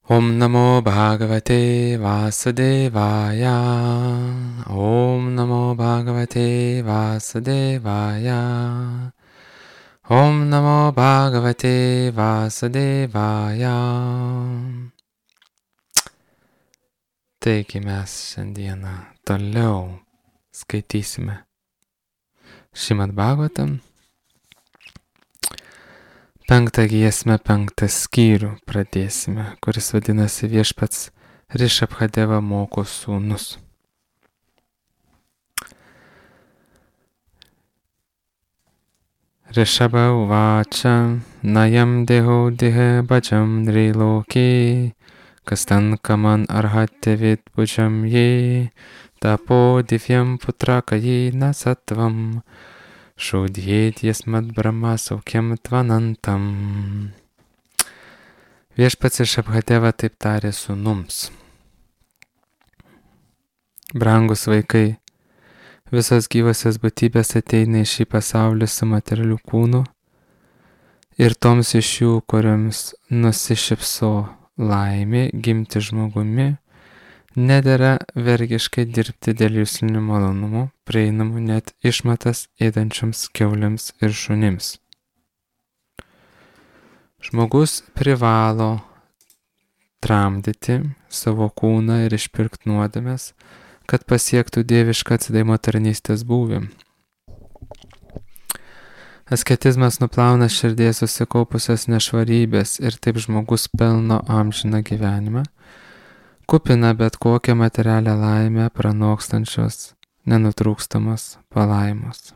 Om Namo Bhagavate Vasudevaya. Om Namo Bhagavate Vasudevaya. Om Namo Bhagavate Vasudevaya. Taigi mes šiandieną toliau skaitysime Šrimad Bhagavatam. 5 giesmę, 5 skyrių pradėsime, kuris vadinasi Viešpats Rišabhadeva moko sūnus. Rishabha uvača najam deho dihe bhajam nriloke kastan kaman arhate vidbhujam ye tapo divyam putrakaye nasatvam šaudhėt jasmat brahma saukiam tvanantam. Viešpats Rišabhadeva taip tarė sūnums. Brangus vaikai, visos gyvosios būtybės ateina į šį pasaulį su materialiu kūnu ir toms iš jų, kurioms nusišypso laimė gimti žmogumi, nedera vergiškai dirbti dėl jūslinių malonumų, prieinamų net išmatas ėdančioms kiauliams ir šunims. Žmogus privalo tramdyti savo kūną ir išpirkti nuodėmes, kad pasiektų dievišką atsidavimo tarnystės būvį. Asketizmas nuplauna širdies susikaupusios nešvarybės ir taip žmogus pelno amžiną gyvenimą, kupina bet kokią materialią laimę pranokstančios nenutrūkstamos palaimos.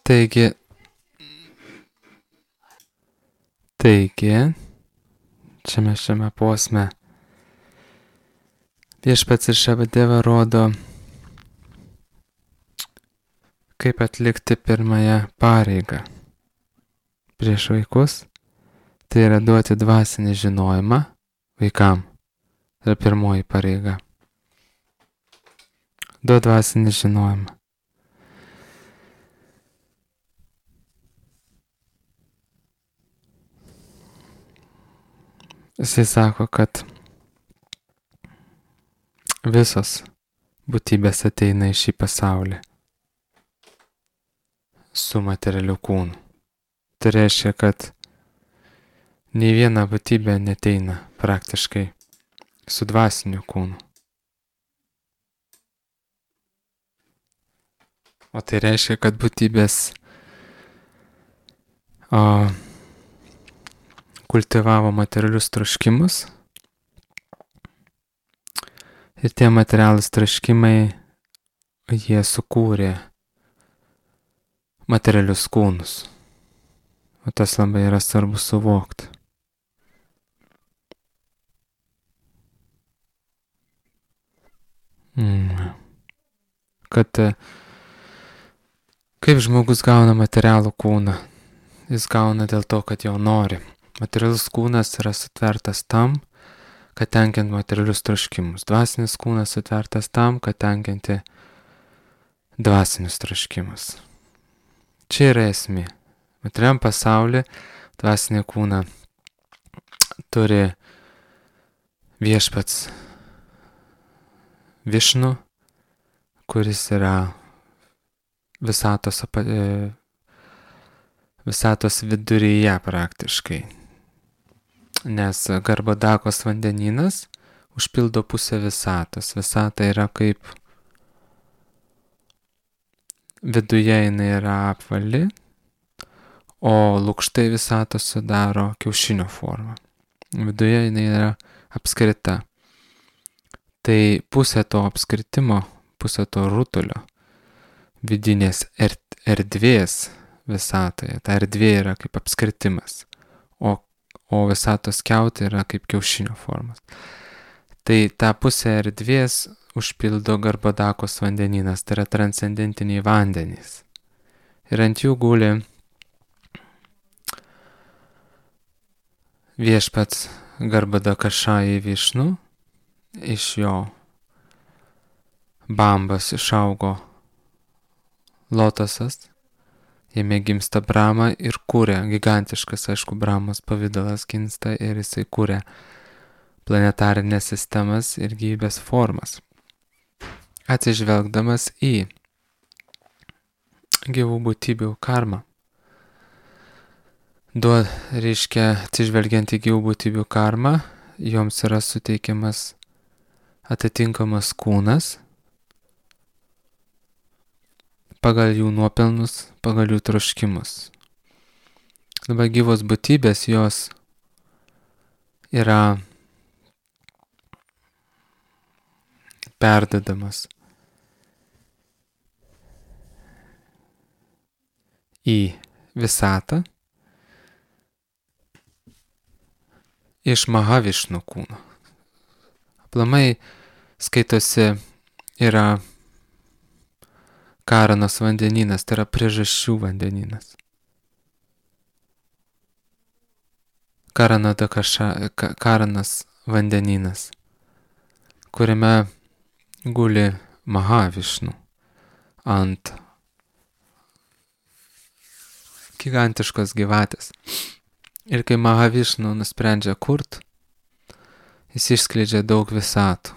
Taigi, šiame posme Viešpats Rišabhadeva rodo, kaip atlikti pirmąją pareigą prieš vaikus, tai yra duoti dvasinį žinojimą vaikam. Tai yra pirmoji pareiga. Duoti dvasinį žinojimą. Jisai sako, kad visos būtybės ateina į šį pasaulį su materialiu kūnu. Tai reiškia, kad nei viena būtybė neteina praktiškai su dvasiniu kūnu. O tai reiškia, kad būtybės kultivavo materialius troškimus ir tie materialūs troškimai jie sukūrė materialius kūnus. O tas labai yra svarbu suvokti. Kad kaip žmogus gauna materialų kūną? Jis gauna dėl to, kad jau nori. Materialus kūnas yra sutvertas tam, kad tenkinti materialius troškimus. Dvasinis kūnas sutvertas tam, kad tenkinti dvasinius troškimus. Čia yra esmė. Materialiam pasaulyje dvasinį kūną turi Viešpats Višnu, kuris yra visatos viduryje praktiškai. Nes Garbhodakos vandenynas užpildo pusę visatos. Visata yra kaip viduje jinai yra apvali, o lukštai visatos sudaro kiaušinio formą. Viduje jinai yra apskrita. Tai pusė to apskritimo, pusė to rutulio vidinės erdvės visatoje. Ta erdvė yra kaip apskritimas, o visatos kiautai yra kaip kiaušinio formas. Tai tą pusę erdvės užpildo Garbhodakos vandenynas, tai yra transcendentiniai vandenys. Ir ant jų guli viešpats Garbadakašai Višnu, iš jo bambos išaugo lotosas, jame gimsta Brahma ir kūrė, gigantiškas, aišku, Brahmos pavidalas gimsta ir jisai kūrė planetarinės sistemas ir gyvybės formas. Atsižvelgdamas į gyvų būtybių karmą. Reiškia, atsižvelgiant į gyvų būtybių karmą, joms yra suteikiamas atitinkamas kūnas pagal jų nuopelnus, pagal jų troškimus. Dabar gyvos būtybės jos yra perdodamas į visatą iš Mahavišnu kūno. Aplamai skaitosi yra Karanos vandenynas, tai yra priežasčių vandenynas. Karanas vandenynas, kuriame guli Mahavišnu ant gigantiškos gyvatės. Ir kai Mahavišnu nusprendžia kurt, jis išskleidžia daug visatų.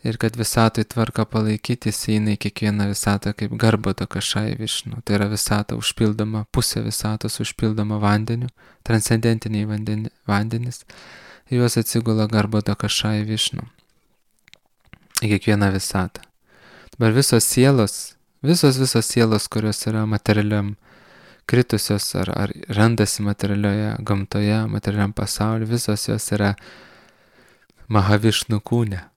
Ir kad visatui tvarką palaikyti, jis eina į kiekvieną visatą kaip Garbadakašai Višnu. Tai yra visata užpildoma, pusė visatos užpildoma vandeniu, transcendentiniai vandenis. Juos atsigula Garbadakašai Višnu. Į kiekvieną visatą. Dabar visos sielos, kurios yra materialiam kritusios ar randasi materialioje gamtoje, materialiam pasauliu, visos jos yra Mahavišnu kūne.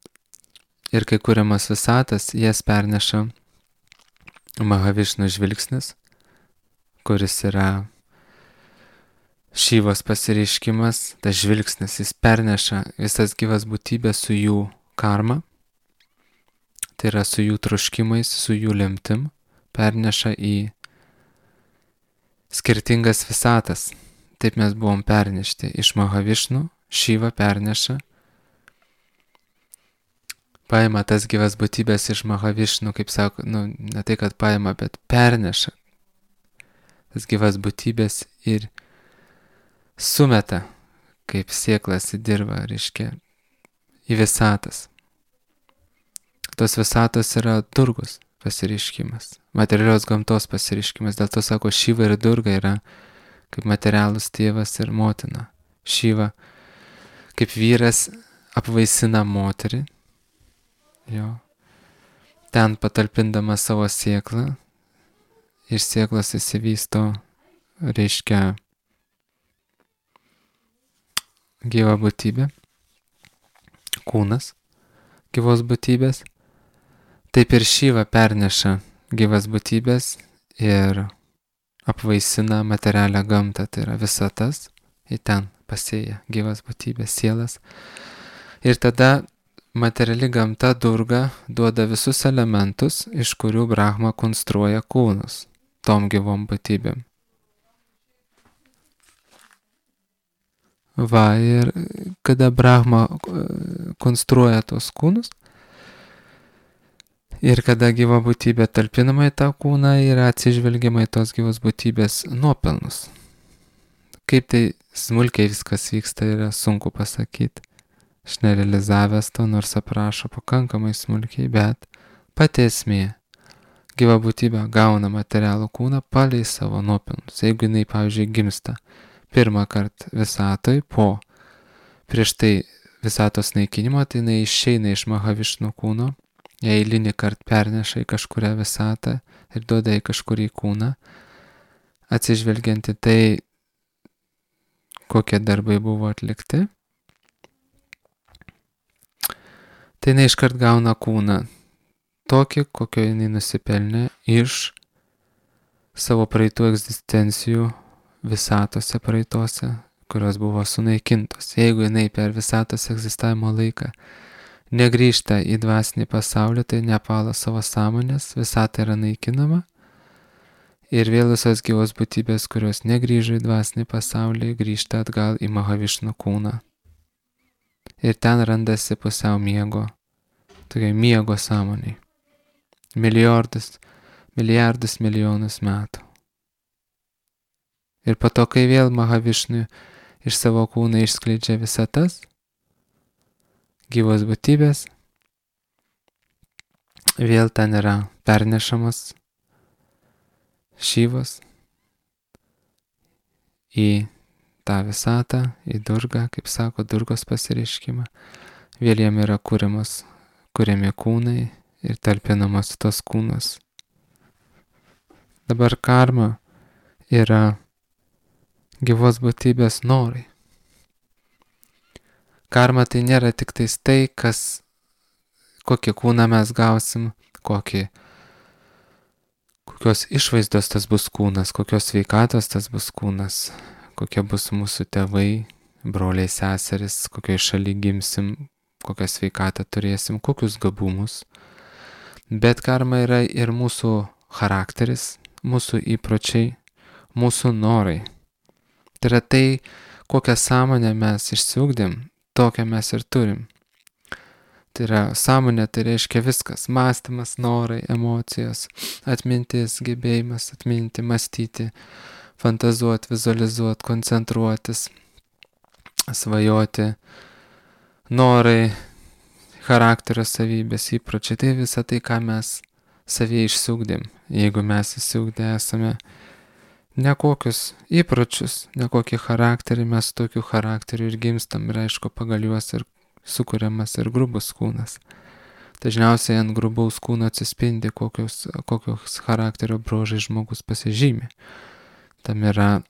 Ir kai kuriamas visatas, jas perneša Mahavišnu žvilgsnis, kuris yra Šyvos pasireiškimas. Tas žvilgsnis, jis perneša visas gyvas būtybės su jų karma, tai yra su jų troškimais, su jų lemtim, perneša į skirtingas visatas. Taip mes buvom pernešti iš Mahavišnu, Šyva perneša, paima tas gyvas būtybės iš Mahavišnu, kaip sako, ne tai, kad paima, bet perneša tas gyvas būtybės ir sumeta kaip sėklas į dirvą, reiškia, į visatas. Tos visatos yra Durgos pasireiškimas, materialios gamtos pasireiškimas. Dėl to sako, Šyva ir Durga yra kaip materialus tėvas ir motina. Šyva kaip vyras apvaisina moterį, jo, ten patalpindama savo sėklą, iš sėklos įsivysto, reiškia, gyva būtybė, kūnas gyvos būtybės. Taip ir Šyva perneša gyvas būtybės ir apvaisina materialią gamtą, tai yra visatas, į ten pasėja gyvas būtybės, sielas. Ir tada materiali gamta Durga duoda visus elementus, iš kurių Brahma konstruoja kūnus tom gyvom būtybėm. Va, ir kada Brahma konstruoja tos kūnus, ir kada gyva būtybė talpinama į tą kūną, yra atsižvelgiama į tos gyvos būtybės nuopelnus. Kaip tai smulkiai viskas vyksta, yra sunku pasakyti. Aš nerealizavęs to, nors aprašo pakankamai smulkiai, bet pati esmė. Gyva būtybė gauna materialų kūną palei savo nuopelnus. Jeigu jinai, pavyzdžiui, gimsta pirmą kartą visatoj, prieš tai visatos naikinimo, tai jinai išeina iš Mahavišnu kūno, ją eilinį kartą perneša į kažkurią visatą ir duoda į kažkurį kūną, atsižvelgiant į tai, kokie darbai buvo atlikti. Tai jinai iškart gauna kūną tokį, kokio jinai nusipelnė iš savo praeitų egzistencijų visatose praeitose, kurios buvo sunaikintos. Jeigu jinai per visatos egzistavimo laiką negrįžta į dvasinį pasaulį, tai nepala savo sąmonės, visata yra naikinama Ir vėl visos gyvos būtybės, kurios negrįžo į dvasinį pasaulį, grįžta atgal į Mahavišnu kūną. Ir ten randasi pusiau miego, tokia miego sąmoniai. Milijardus milijonus metų. Ir po to, kai vėl Mahavišnu iš savo kūno išskleidžia visatas, gyvos būtybės, vėl ten yra pernešamas Šyvas į tą visatą, į Durgą, kaip sako, Durgos pasireiškimą. Vėl jam yra kuriami kūnai ir talpinamas tos kūnas. Dabar karma yra gyvos būtybės norai. Karma tai nėra tik tais tai, kokį kūną mes gausim, kokios išvaizdos tas bus kūnas, kokios sveikatos tas bus kūnas, kokie bus mūsų tėvai, broliai, seseris, kokioje šalyje gimsim, kokią sveikatą turėsim, kokius gabumus. Bet karma yra ir mūsų charakteris, mūsų įpročiai, mūsų norai. Tai yra tai, kokią sąmonę mes išsiugdėm, tokią mes ir turim. Tai yra sąmonė, tai reiškia viskas. Mąstymas, norai, emocijos, atmintis, gebėjimas atminti, mąstyti, fantazuoti, vizualizuoti, koncentruotis, svajoti, norai, charakterio savybės, įpročiai. Tai visa tai, ką mes savyje išsiugdėm. Jeigu mes išsiugdę esame nekokius įpročius, nekokį charakterį, mes tokiu charakteriu ir gimstam ir aišku pagal juos ir sukuriamas ir grubus kūnas. Dažniausiai ant grubaus kūno atsispindi, kokios charakterio bruožai žmogus pasižymi. Tam yra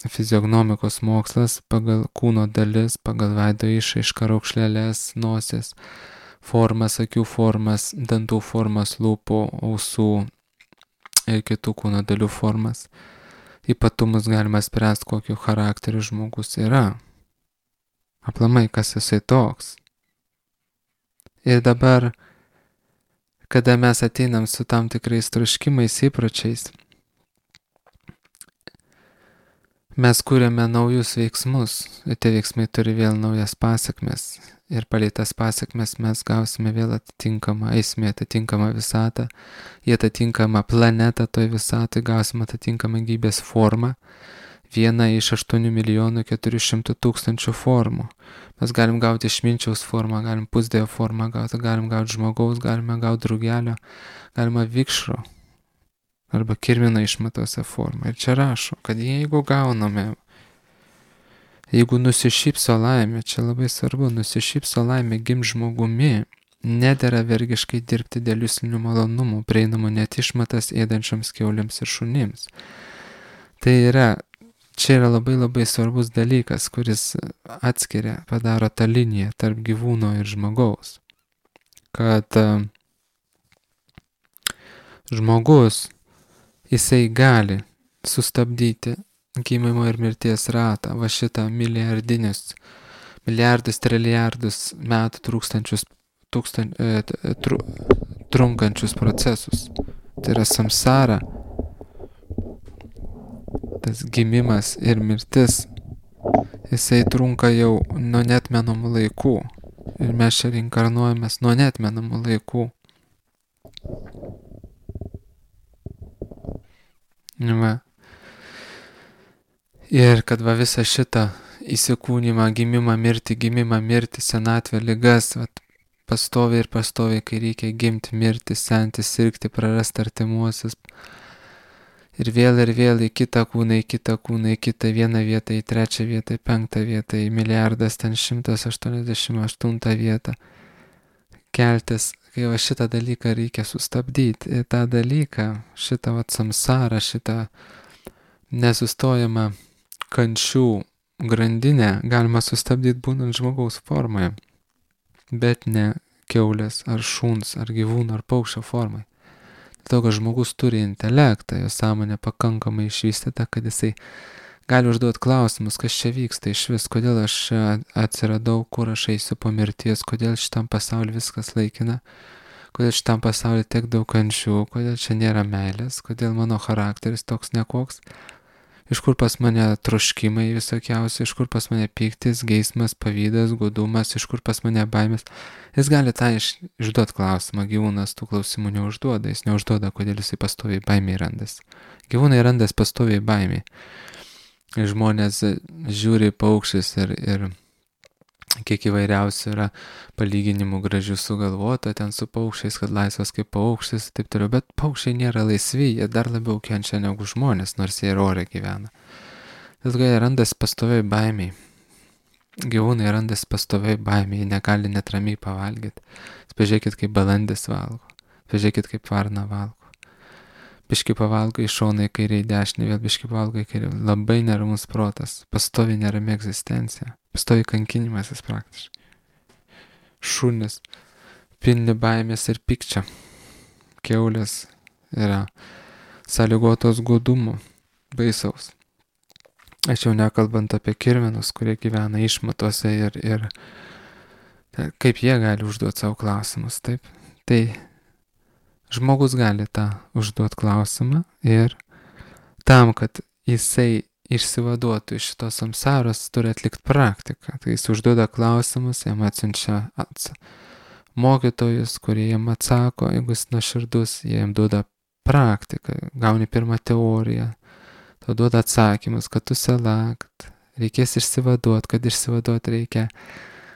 fiziognomikos mokslas pagal kūno dalis, pagal veido išraišką, raukšlelės, nosies formas, akių formas, dantų formas, lūpų, ausų ir kitų kūno dalių formas. Ypatumus galima spręsti, kokiu charakteriu žmogus yra. Aplamai, kas jisai toks. Ir dabar, kada mes ateinam su tam tikrais troškimais, įpročiais, mes kūrėme naujus veiksmus, ir tie veiksmai turi vėl naujas pasekmes. Ir palei tas pasekmes mes gausime vėl eisime atitinkamą visatą, į atitinkamą planetą toj visatoj gausime atitinkamą gyvybės formą, vieną iš 8.400.000 formų. Mes galim gauti išminčiaus formą, galim pusdievo formą gauti, galim gauti žmogaus, galime gauti drugelio, galima vikšro arba kirmino išmatose formą. Ir čia rašo, kad jeigu gauname, jeigu nusišypso laimė, čia labai svarbu, nusišypso laimė gimt žmogumi, nedera vergiškai dirbti dėl juslinių malonumų, prieinamų net išmatas ėdančioms kiauliams ir šunims. Tai yra, čia yra labai labai svarbus dalykas, kuris atskiria, padaro tą liniją tarp gyvūno ir žmogaus. Kad žmogus, jisai gali sustabdyti gimimo ir mirties ratą, va šitą milijardus, trilijardus metų trunkančius procesus. Tai yra samsara, tas gimimas ir mirtis, jisai trunka jau nuo neatmenamų laikų. Ir mes čia reinkarnuojamės nuo neatmenamų laikų. Va. Ir kad va visą šitą įsikūnymą, gimimą, mirtį, senatvę, ligas, va, pastoviai, kai reikia gimti, mirti, senti, sirgti, prarasti artimuosius. Ir vėl į kitą kūną, į kitą vieną vietą, į trečią vietą, į penktą vietą, į milijardas, ten 188 vietą. Keltis, kai va šitą dalyką reikia sustabdyti. Ir tą dalyką, šitą va samsarą, šitą nesustojamą kančių grandinę galima sustabdyti būnant žmogaus formoje, bet ne kiaulės ar šuns ar gyvūno ar paukščio formai. Dėl to, kad žmogus turi intelektą, jo sąmonė pakankamai išvystyta, kad jisai gali užduoti klausimus, kas čia vyksta iš vis, kodėl aš atsiradau, kur aš eisiu po mirties, kodėl šitam pasauliu viskas laikina, kodėl šitam pasaulyje tiek daug kančių, kodėl čia nėra meilės, kodėl mano charakteris toks nekoks, iš kur pas mane troškimai visokiausi, iš kur pas mane pyktis, geismas, pavydas, godumas, iš kur pas mane baimės. Jis gali tą išduoti klausimą, gyvūnas tų klausimų neužduoda, jis neužduoda, kodėl jisai pastoviai baimiai randasi. Gyvūnai randas pastoviai baimiai. Žmonės žiūri paukščius ir kiek įvairiausių yra palyginimų gražių sugalvota ten su paukščiais, kad laisvas kaip paukštis, taip toliau, bet paukščiai nėra laisvi, jie dar labiau kenčia negu žmonės, nors jie ir ore gyvena. Dėl to jie randas pastoviai baimiai. Gyvūnai randas pastoviai baimiai, jie negali net ramiai pavalgyti. Pažiūrėkit, kaip balandis valgo, pažiūrėkit, kaip varna valgo. Biški pavalgo į šoną, į kairę, į dešinę, vėl biški pavalgo į kairę. Labai neramus protas, pastovi nerami egzistencija, pastovi kankinimasis praktiškai. Šunis pilni baimės ir pykčio. Kiaulės yra sąlygotos godumo, baisaus. Aš jau nekalbant apie kirminus, kurie gyvena išmatuose ir kaip jie gali užduoti savo klausimus, taip? Tai žmogus gali tą užduoti klausimą ir tam, kad jisai išsivaduotų iš šitos samsaros, turi atlikti praktiką. Tai jis užduoda klausimus, jam atsiunčia mokytojus, kurie jam atsako, jeigu jis nuoširdus, jie jam duoda praktiką, gauni pirmą teoriją, tau duoda atsakymus, kad tu sela, kad reikės išsivaduoti, kad išsivaduoti reikia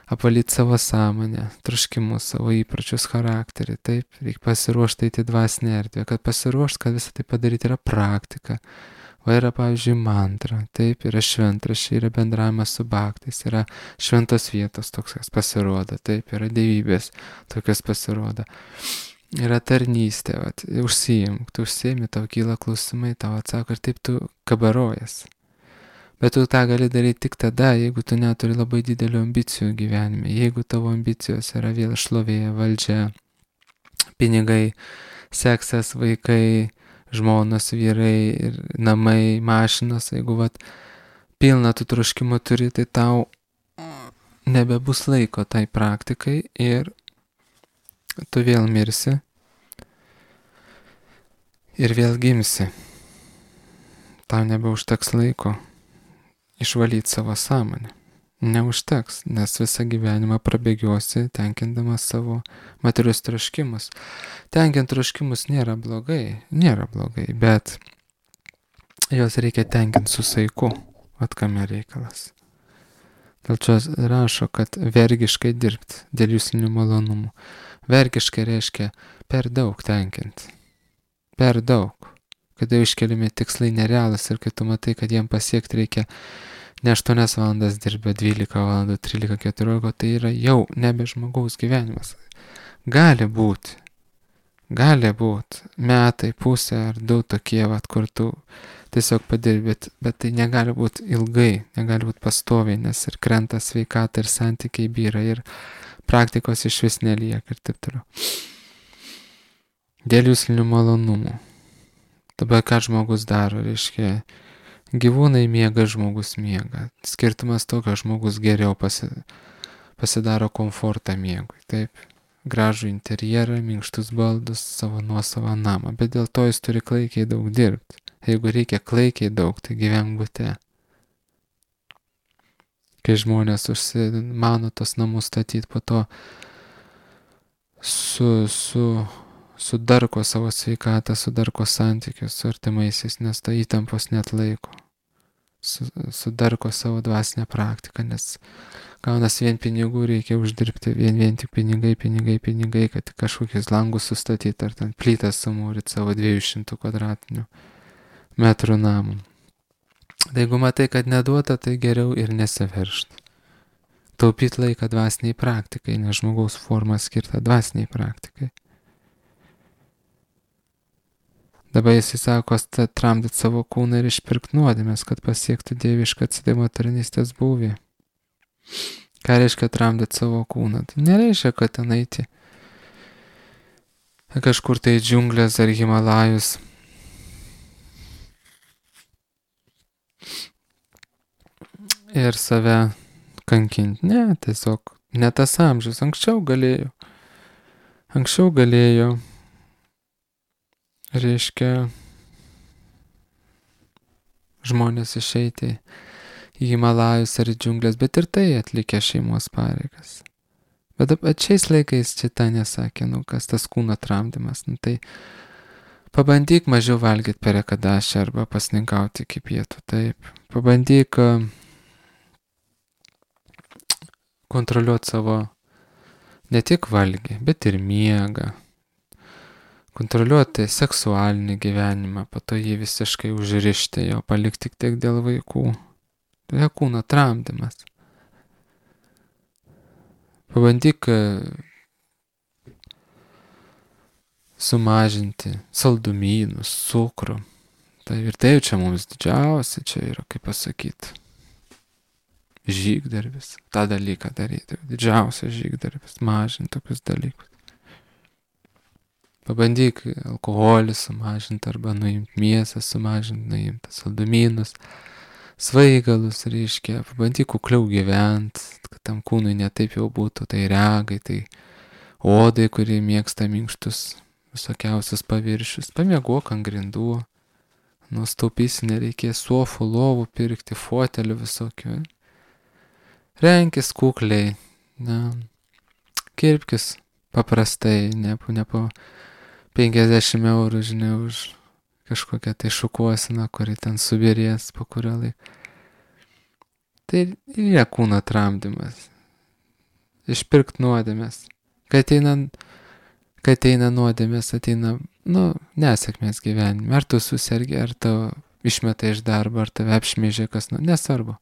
apvalyti savo sąmonę, troškimus, savo įpročius, charakterį, taip, reikia pasiruošti eiti dvasinę erdvę, kad pasiruošti, kad visą tai padaryti yra praktika, o yra, pavyzdžiui, mantra, taip, yra šventraščiai, yra bendravimas su bhaktais, yra šventos vietos toks pasirodo, taip, yra dievybės tokios pasirodo, yra tarnystė, užsiimk, tu užsiimi, tau kyla klausimai, tau atsako ir taip tu kabarojas. Bet tu tą gali daryti tik tada, jeigu tu neturi labai didelių ambicijų gyvenime, jeigu tavo ambicijos yra vėl šlovė, valdžia, pinigai, seksas, vaikai, žmonos, vyrai, ir namai, mašinos, jeigu pilna tų troškimų turi, tai tau nebebus laiko tai praktikai ir tu vėl mirsi ir vėl gimsi. Tau nebeužteks laiko išvalyti savo sąmonę. Neužteks, nes visą gyvenimą prabėgiosi, tenkindamas savo materialius troškimus. Tenkint troškimus nėra blogai, bet jos reikia tenkinti su saiku, kame reikalas. Dėl čia rašo, kad vergiškai dirbti dėl jūslinių malonumų. Vergiškai reiškia per daug tenkinti. Per daug. Kada iškeliami tikslai nerealūs ir kai tu matai, kad jiem pasiekti reikia ne 8 valandas dirbę, 12 valandų, 13, 14, tai yra jau nebe žmogaus gyvenimas. Gali būti metai, pusė ar 2 tokie, kur tu tiesiog padirbi, bet tai negali būti ilgai, negali būti pastoviai, nes ir krenta sveikata, ir santykiai byra, ir praktikos iš vis nelieka ir taip toliau. Dėl jūslinių malonumų. Dabar ką žmogus daro, reiškia, gyvūnai miega, žmogus miega. Skirtumas to, kad žmogus geriau pasidaro komfortą miegui, taip. Gražų interjerą, minkštus baldus, savo nuosavą namą, bet dėl to jis turi klaikiai daug dirbti. Jeigu reikia klaikiai daug, tai gyvenk bute. Kai žmonės užsimano tos namus statyti, po to sudarko savo sveikatą, sudarko santykius su artimaisiais, nes ta įtampos net laiko. Sudarko savo dvasinę praktiką, nes gaunas vien pinigų reikia uždirbti, vien tik pinigai, kad tik kažkokius langus sustatyti, ar ten plytas sumūryti savo 200 kvadratinių metrų namų. Tai jeigu matai, kad neduota, tai geriau ir nesiveržti. Taupyti laiką dvasiniai praktikai, nes žmogaus forma skirta dvasiniai praktikai. Dabar jis sako, tramdyti savo kūną ir išpirkti nuodėmes, kad pasiektų dievišką atsidavimo tarnystės būvį. Ką reiškia tramdyti savo kūną? Tai nereiškia, kad ten eiti kažkur tai džiunglės ar Himalajus. Ir save kankinti. Ne, tiesiog ne tas amžius. Anksčiau galėjau. Anksčiau galėjo, reiškia, žmonės išeiti į Himalajus ar į džiunglės, bet ir tai atlikę šeimos pareigas. Bet šiais laikais šitą nesakė, kas tas kūno tramdymas. Tai pabandyk mažiau valgyti per ekadašį arba pasninkauti iki pietų, taip. Pabandyk kontroliuoti savo ne tik valgį, bet ir miegą. Kontroliuoti seksualinį gyvenimą, po to jį visiškai užrišti, jo palikti tik dėl vaikų. Tai kūno tramdymas. Pabandyk sumažinti saldumynus, cukrų. Tai ir tai čia mums didžiausia, čia yra, kaip pasakyti, žygdarbis. Tą dalyką daryti, didžiausias žygdarbis, mažinti tokius dalykus. Pabandyk alkoholį sumažinti arba nuimti mėsą, sumažinti, nuimti saldumynus, svaigalus, reiškia, pabandyk kukliau gyventi, kad tam kūnui netaip jau būtų, tai regai, tai odai, kurie mėgsta minkštus visokiausius paviršius. Pamiegok ant grindų, nustaupysi, nereikės sofų, lovų pirkti, fotelių visokių. Renkis kukliai, kirpkis paprastai, ne po 50 eurų, žinai, už kažkokią tai šukuosiną, kuri ten subirės po kurio laiko. Tai yra kūno tramdymas. Išpirkt nuodėmės. Kai ateina nuodėmės, ateina, nesėkmės gyvenime. Ar tu susergi, ar tu išmetai iš darbo, ar tave apšmeižė kas, nesvarbu.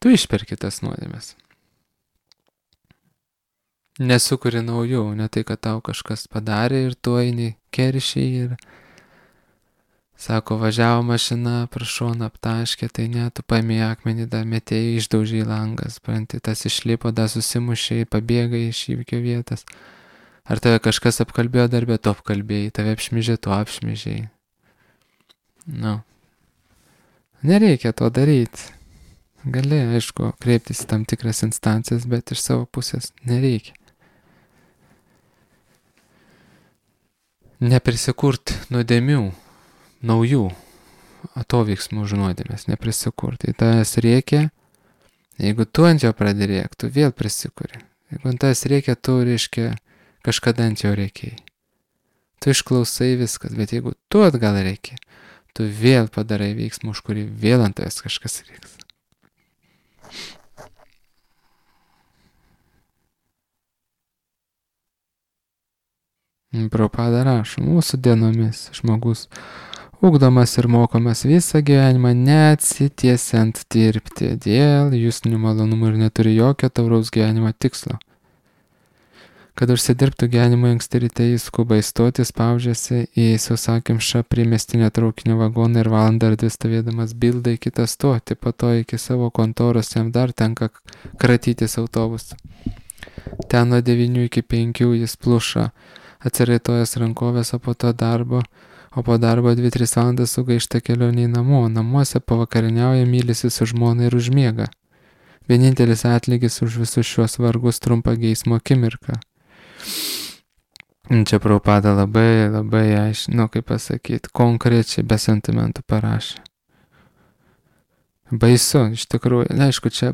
Tu išperki tas nuodėmės. Nesukuri naujų, ne tai, kad tau kažkas padarė ir tu eini keršiai ir sako, važiavo mašina, prašoną aptaškė, tai ne, tu paėmė akmenį, dar metėjai, išdaužė į langas, pranti, tas išlipo, dar susimušė, pabėga iš įvykio vietas. Ar tave kažkas apkalbėjo darbę, tu apkalbėjai, tave apšmeižė, tu apšmeižėjai. Nereikia to daryti. Gali, aišku, kreiptis į tam tikras instancijas, bet iš savo pusės nereikia. Neprisikurti nuodėmių, naujų atoveiksmų už nuodėmės, neprisikurti. Tai tas reikia, jeigu tu ant jo pradedi rėkti, tu vėl prisikuri. Jeigu ant tas reikia, tu, reiškia, kažkada ant jo reikiai. Tu išklausai viskas, bet jeigu tu atgal reikia, tu vėl padarai veiksmų, už kurį vėl ant tavęs kažkas reiks. Prabhupada rašo, mūsų dienomis žmogus ugdomas ir mokomas visą gyvenimą neatsitiesiant dirbti dėl justinių malonumų ir neturi jokio tauraus gyvenimo tikslo. Kad užsidirbtų gyvenimo anksti ryte jis skuba įstoti, spaudžiasi į sausakimšą primestinę traukinio vagoną ir valandą ar dvi stovėdamas bildą į kitą stotį, po to iki savo kontoros jam dar tenka kratytis autobusą. Ten nuo 9 iki 5 jis pluša, atsiraitojęs rankovės, o po darbo 2-3 valandas sugaišta kelionė į namo. Namuose pavakariniauja, mylisi su žmona ir užmiega. Vienintelis atlygis už visus šios vargus trumpa geismo akimirka. Čia Prabhupada labai aiškiai, kaip pasakyti, konkrečiai be sentimentų parašė. Baisu, iš tikrųjų, aišku, čia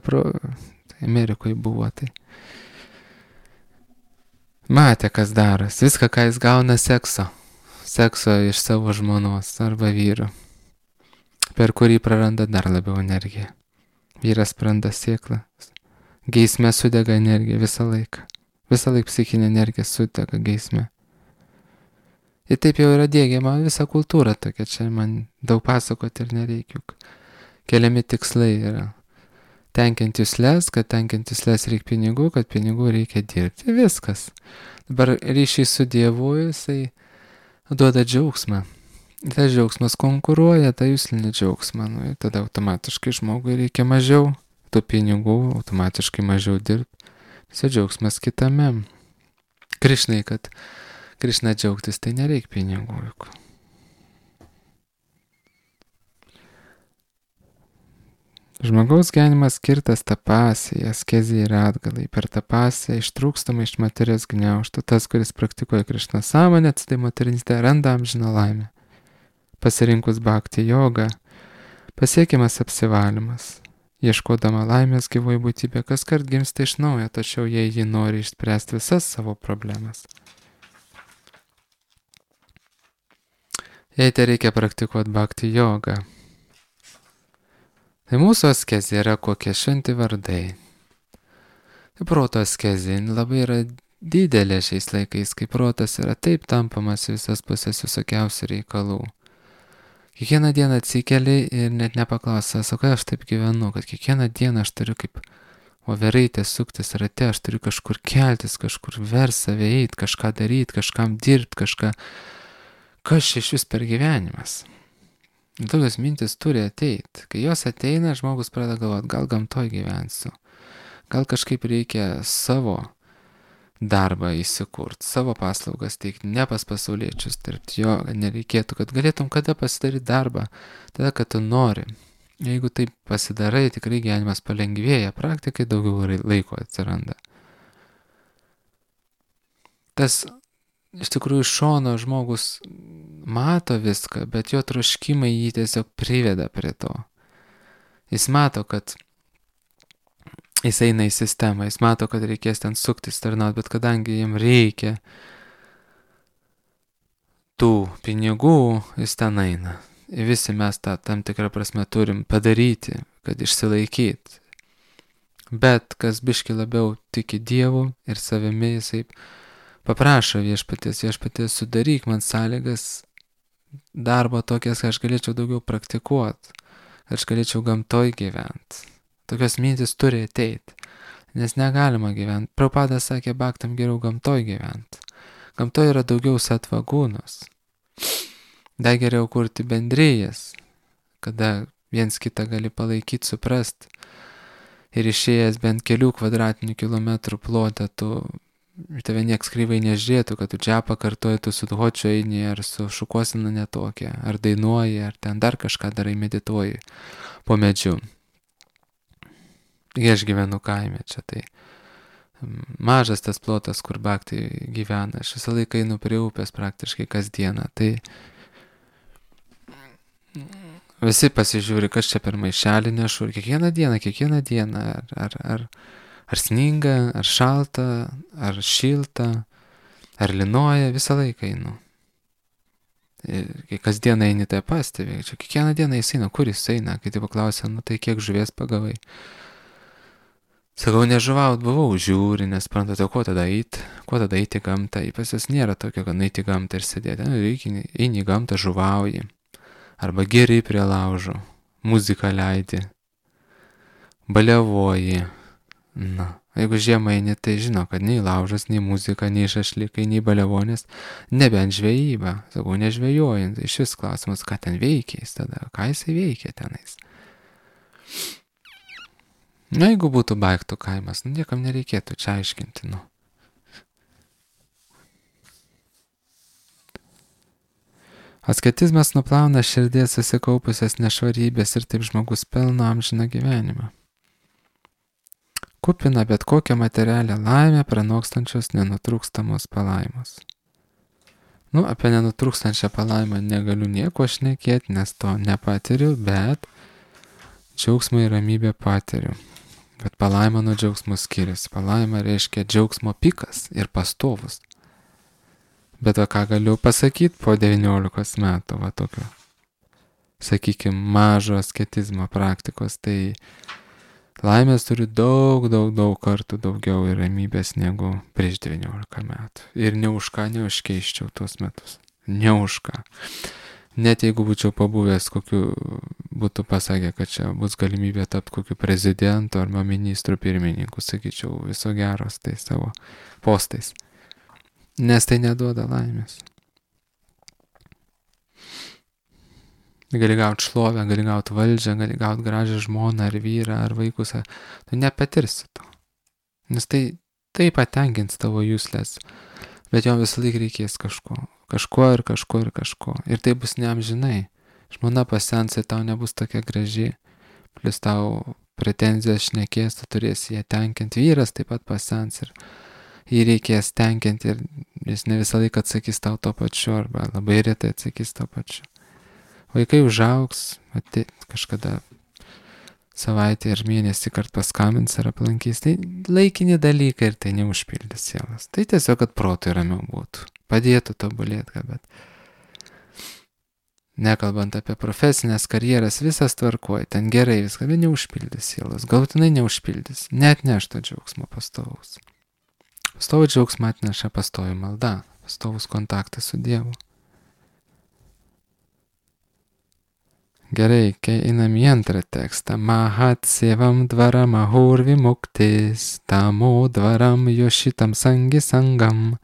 Amerikoje buvo tai. Matė, kas daras, viską, ką jis gauna sekso iš savo žmonos arba vyro, per kurį praranda dar labiau energiją. Vyras praranda sėklą, geisme sudega energija visą laiką psichinė energija sudega geisme. Ir taip jau yra diegiama visa kultūra tokia, čia man daug pasakoti ir nereikia, keliami tikslai yra. Tenkinti jusles, kad tenkinti jusles reikia pinigų, kad pinigų reikia dirbti. Viskas. Dabar ryšiai su Dievu, jisai duoda džiaugsmą. Tas džiaugsmas konkuruoja tą juslinį džiaugsmą. Ir tada automatiškai žmogui reikia mažiau tų pinigų, automatiškai mažiau dirbti. Visi džiaugsmas kitame. Krišnai, kad Krišna džiaugtis, tai nereikia pinigų. Žmogaus gyvenimas skirtas tapasiai, askezijai ir atgalai. Per tapasiją ištrūkstama iš materijos gniaužtų. Tas, kuris praktikuoja Krišna sąmonę, tai materinystė randa amžiną laimę. Pasirinkus bhakti jogą, pasiekiamas apsivalymas. Ieškodama laimės gyvoji būtybė kaskart gimsta iš naujo, tačiau jei ji nori išspręsti visas savo problemas. Jei tai reikia praktikuoti bhakti jogą, tai mūsų askezė yra kokie šventi vardai. Tai proto askezė labai yra didelė šiais laikais, kai protas yra taip tampamas visas pusės visokiausių reikalų. Kiekvieną dieną atsikeli ir net nepaklausia, sakai, aš taip gyvenu, kad kiekvieną dieną aš turiu kaip overaitė suktis rate, aš turiu kažkur keltis, kažkur vers save eiti, kažką daryti, kažkam dirbti, kažką. Kas čia iš vis per gyvenimas? Tokios mintis turi ateiti. Kai jos ateina, žmogus pradeda galvoti, gal gamtoj gyvensiu, gal kažkaip reikia savo darbą įsikurti, savo paslaugas teikti, ne pas pasauliečius dirbti, jo nereikėtų, kad galėtum kada pasidaryti darbą, tada, kad tu nori. Jeigu taip pasidarai, tikrai gyvenimas palengvėja, praktikai daugiau laiko atsiranda. Tas iš tikrųjų iš šono žmogus mato viską, bet jo troškimai jį tiesiog priveda prie to. Jis mato, kad jis eina į sistemą, jis mato, kad reikės ten suktis, tarnauti, bet kadangi jam reikia tų pinigų, jis ten eina. Ir visi mes tą tam tikrą prasme turim padaryti, kad išsilaikyti. Bet kas biški labiau tiki Dievu ir savimi, jisai paprašo viešpaties, sudaryk man sąlygas darbo tokias, kad aš galėčiau daugiau praktikuoti, kad aš galėčiau gamtoj gyventi. Tokios mintis turi ateiti, nes negalima gyventi. Prabhupada sakė, bhaktam geriau gamtoj gyventi. Gamtoj yra daugiau satvagūnos. Dar geriau kurti bendrijas, kada viens kitą gali palaikyti, suprasti. Ir išėjęs bent kelių kvadratinių kilometrų plotą, tave nieks kryvai nežiūrėtų, kad tu čia pakartoji, tu su dhočiu eini, ar su šukosina netokia, ar dainuoji, ar ten dar kažką darai, medituoji po medžiu. Aš gyvenu kaime čia, tai mažas tas plotas, kur bhakti gyvena. Aš visą laiką einu prie upės praktiškai kasdieną. Tai visi pasižiūri, kas čia per maišelį nešu. Ir kiekvieną dieną, ar sninga, ar šalta, ar šilta, ar linuoja, visą laiką einu. Ir kai kasdieną eini, tai pastebi. Čia kiekvieną dieną jis eina, kur jis eina. Kai tai paklausia, tai kiek žuvies pagavai. Sakau, nežuvaut buvau, žiūri, nesprantate, kuo tada eiti gamtą. Pas jas nėra tokio, kad eiti gamtą ir sėdėti. Eini į gamtą, žuvauji. Arba geri prie laužo, muziką leidi, baliavoji. Na, jeigu žiemą eini, tai žino, kad nei laužas, nei muzika, nei šašlikai, nei baliavonės, nebent žvejyba. Sakau, nežvejojant. Iš vis klausimas, ką ten veikiais tada, ką jisai veikia tenais. Na, jeigu būtų baigtų kaimas, niekam nereikėtų čia aiškinti, Asketizmas nuplauna širdies susikaupusias nešvarybės ir taip žmogus pelno amžiną gyvenimą. Kupina bet kokią materialią laimę pranokstančios nenutrūkstamos palaimos. Apie nenutrūkstančią palaimą negaliu nieko šnekėti, nes to nepatiriu, bet džiaugsmą ir ramybę patiriu. Bet palaima nuo džiaugsmo skiriasi. Palaima reiškia džiaugsmo pikas ir pastovus. Bet ką galiu pasakyti po 19 metų, tokio, sakykime, mažo asketizmo praktikos, tai laimės turiu daug kartų daugiau ir ramybės negu prieš 19 metų. Ir ne už ką neužkeiščiau tuos metus. Ne už ką. Net jeigu būčiau pabuvęs, kokiu būtų pasakę, kad čia bus galimybė tapti kokiu prezidentu arba ministrų pirmininku, sakyčiau, viso geros tai savo postais. Nes tai neduoda laimės. Gali gauti šlovę, gali gauti valdžią, gali gauti gražią žmoną ar vyrą ar vaikus. Tu nepatirsi to. Nes tai patenkins tavo jūslės. Bet jo visą laiką reikės kažko. Ir tai bus neamžinai. Žmona pasens ir tau nebus tokia graži. plus tau pretenzijas šnekės, tu turėsi ją tenkinti. Vyras taip pat pasens ir jį reikės tenkinti ir jis ne visą laiką atsakys tau to pačiu arba labai retai atsakys to pačiu. Vaikai užaugs, kažkada savaitę ir mėnesį kart paskambins ar aplankys. Tai laikini dalykai ir tai neužpildys sielas. Tai tiesiog, kad protui ramiau būtų. Padėtų tobulėti, bet nekalbant apie profesinės karjeras, visas tvarkoj, ten gerai viską, bet neužpildys sielas. Galutinai neužpildys. Net nešto džiaugsmo pastovaus. Pastovų džiaugsmą atneša pastovi malda, pastovus kontaktas su Dievu. Gerai, kai einam į antrą tekstą. Mahat sevam dvaram ahur vimuktis, tamo dvaram yošitam sangi sangam,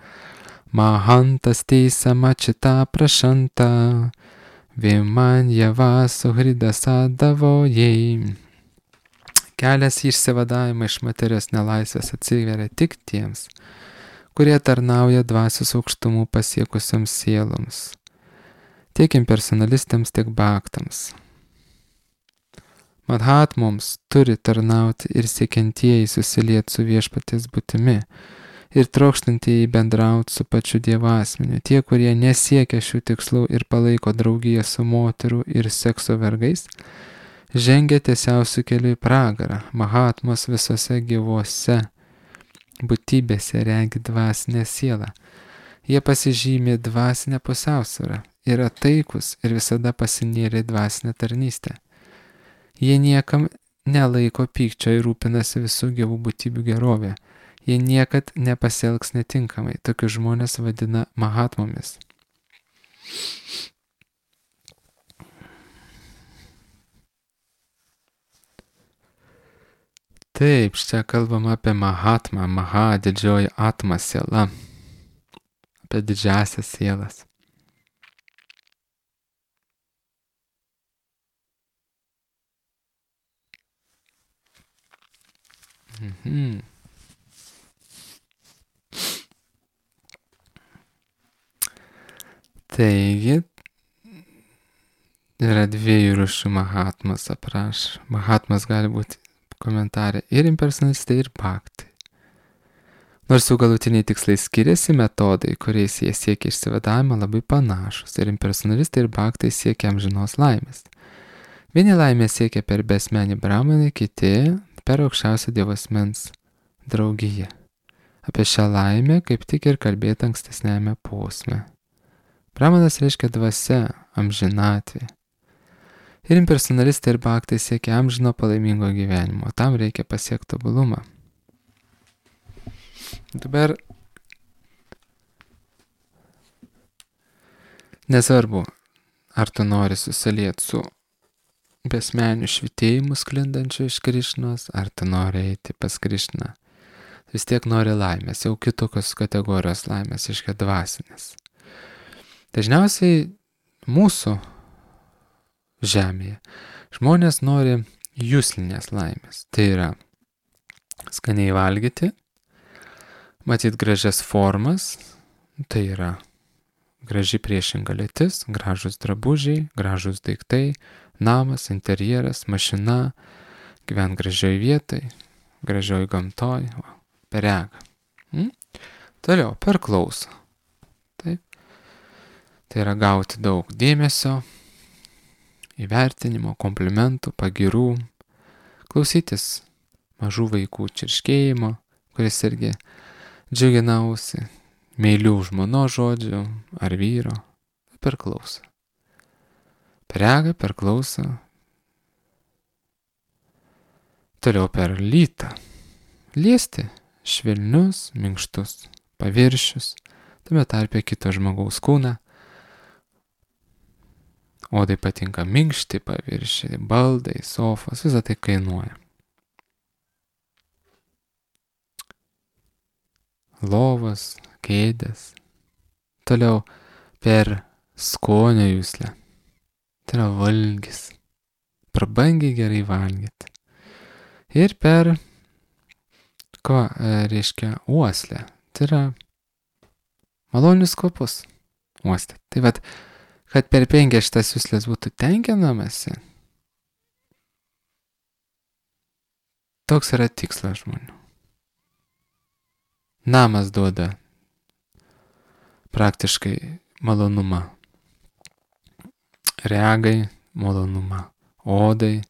mahantas teisama čita prašanta, viman java suhridasa davojai. Kelias į išsivadavimą iš materijos nelaisvės atsiveria tik tiems, kurie tarnauja dvasios aukštumų pasiekusioms sieloms, tiek impersonalistams, tiek baktams. Madhatmoms turi tarnauti ir siekiantieji susilieti su viešpaties būtimi ir trokštantieji bendrauti su pačiu Dievo asmeniu. Tie, kurie nesiekia šių tikslų ir palaiko draugiją su moterų ir sekso vergais, žengia tiesiausių kelių į pragarą. Mahatmos visose gyvose būtybėse regi dvasinę sielą. Jie pasižymė dvasinę pusiausvyrą, yra taikus ir visada pasinėrė dvasinę tarnystę. Jie niekam nelaiko pykčio ir rūpinasi visų gyvų būtybių gerovė. Jie niekad nepasielgs netinkamai. Tokius žmonės vadina mahatmomis. Taip, čia kalbam apie mahatmą. Maha, didžioji atma siela. Apie didžiasias sielas. Taigi, yra dviejų rūšių mahatmas aprašo. Mahatmas gali būti komentarė ir impersonalistai, ir baktai. Nors jų galutiniai tikslai skiriasi, metodai, kuriais jie siekia išsivadavimą, labai panašus. Ir impersonalistai, ir baktai siekia amžinos laimės. Vieni laimė siekia per besmenį brahmaną, kiti per aukščiausią Dievo asmens draugiją. Apie šią laimę kaip tik ir kalbėti ankstesnėme posme. Brahmanas reiškia dvasia, amžinatvė. Ir impersonalistai ir baktai siekia amžino palaimingo gyvenimo. Tam reikia pasiekti tobulumą. Dabar nesvarbu, ar tu nori susilieti su besmeniu švitėjimu sklindančiu iš Krišnos, ar tu nori eiti pas Krišną. Vis tiek nori laimės, jau kitokios kategorijos laimės, iškia dvasinės. Dažniausiai mūsų žemėje žmonės nori juslinės laimės. Tai yra skaniai valgyti, matyti gražias formas, tai yra graži priešinga lytis, gražus drabužiai, gražus daiktai, namas, interjeras, mašina, gyvent gražioj vietoj, gražioj gamtoj, per regą. Toliau, per klausą. Taip. Tai yra gauti daug dėmesio, įvertinimo, komplimentų, pagirų, klausytis mažų vaikų čirškėjimo, kuris irgi džiugina ausį, meilių žmonos žodžių ar vyro, per klausą. Per regą, per klausą. Toliau per lytą. Liesti švelnius, minkštus paviršius, tame tarpe kito žmogaus kūną. Odai patinka minkšti paviršiai, baldai, sofos, visą tai kainuoja. Lovos, kėdės. Toliau per skonio juslę. Tai yra valgis. Prabangiai gerai valgyti. Ir per, ko reiškia, uoslę. Tai yra malonius kvapus uostyti. Tai vat, kad per 5 šitas juslės būtų tenkinamasi, Toks yra tikslas žmonių. Namas duoda praktiškai malonumą. Regai malonumą. Odai,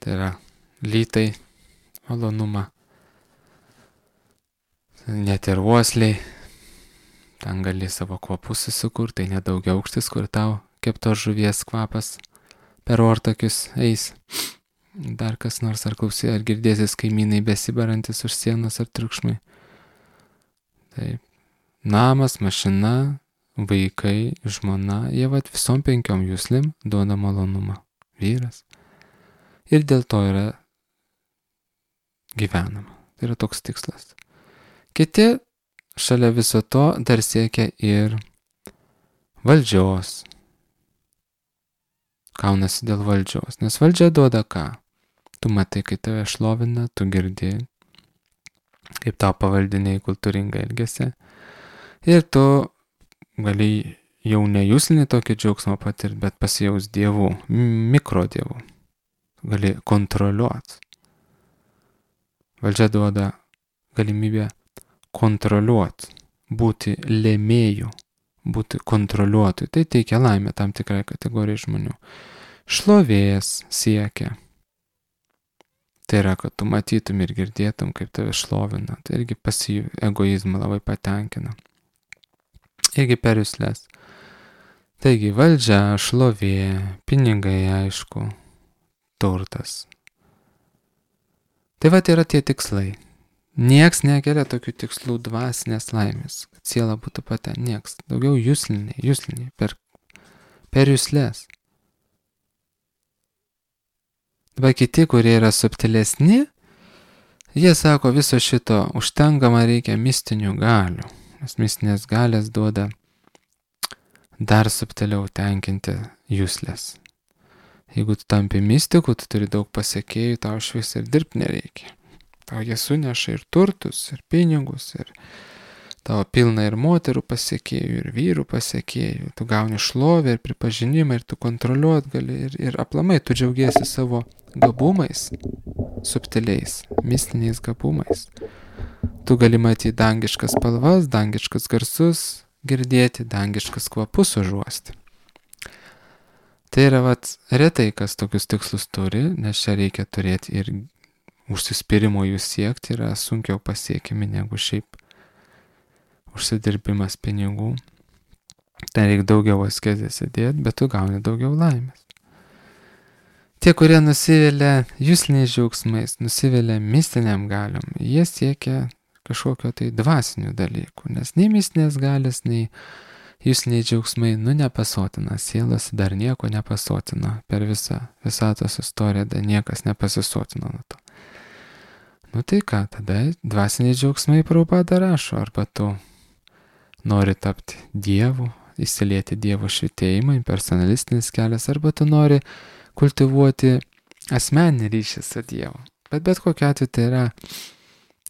tai yra lytai malonumą. Net ir uosliai. Ten gali savo kvapus susikurti, tai nedaugiaaukštis, kur tau keptos žuvies kvapas per ortakius eis. Dar kas nors ar klausai, ar girdėsis kaimynai besibarantis už sienos ar triukšmai. Taip. Namas, mašina, vaikai, žmona, jie visom 5 juslim duoda malonumą. Vyras. Ir dėl to yra gyvenama. Tai yra toks tikslas. Kiti šalia viso to dar siekia ir valdžios. Kaunasi dėl valdžios. Nes valdžia duoda ką? Tu matai, kai tave šlovina, tu girdi, kaip tau pavaldiniai kultūringai elgesi. Ir tu gali jau nejuslinį tokį džiaugsmą patirti, bet pasijaus dievų, mikrodievų. Gali kontroliuoti. Valdžia duoda galimybę kontroliuoti, būti lėmėjų, būti kontroliuotojų. Tai teikia laimę tam tikrai kategorijai žmonių. Šlovės siekia. Tai yra, kad tu matytum ir girdėtum, kaip tave šlovina. Tai irgi egoizmą labai patenkina. Irgi per juslės. Taigi valdžia, šlovė, pinigai, aišku, turtas. Tai yra tie tikslai. Nieks nekelia tokių tikslų dvasinės laimės, kad siela būtų nieks. Daugiau jusliniai, per juslės. Dabar kiti, kurie yra subtilesni, jie sako, viso šito užtenka, man reikia mistinių galių. Nes mistinės galės duoda dar subtiliau tenkinti juslės. Jeigu tu tampi mistiku, tu turi daug pasiekėjų, tau švis ir dirbti nereikia. Tau jie suneša ir turtus, ir pinigus, ir tavo pilna ir moterų pasiekėjų, ir vyrų pasiekėjų. Tu gauni šlovę ir pripažinimą, ir tu kontroliuot gali, ir aplamai tu džiaugiesi savo gabumais, subtiliais, mistiniais gabumais. Tu gali matyti dangiškas spalvas, dangiškas garsus, girdėti dangiškas kvapus užuosti. Tai yra retai, kas tokius tikslus turi, nes čia reikia turėti ir užsispyrimo jų siekti, yra sunkiau pasiekimi negu šiaip užsidirbimas pinigų. Ten reikia daugiau askezės įdėti, bet tu gauni daugiau laimės. Tie, kurie nusivilia jusliniais džiaugsmais, nusivilia mistiniam galiom, jie siekia kažkokio tai dvasinių dalykų, nes nei mistinės galės, nei jusliniai džiaugsmai, nepasotina sielos, dar nieko nepasotina per visą visatos istoriją, dar niekas nepasisotino nuo to. Tai ką, tada dvasiniai džiaugsmai Prabhupada rašo, arba tu nori tapti dievu, įsilieti dievo švitėjimą, impersonalistinis kelias, arba tu nori kultivuoti asmeninį ryšį su Dievu. Bet kokiu atveju tai yra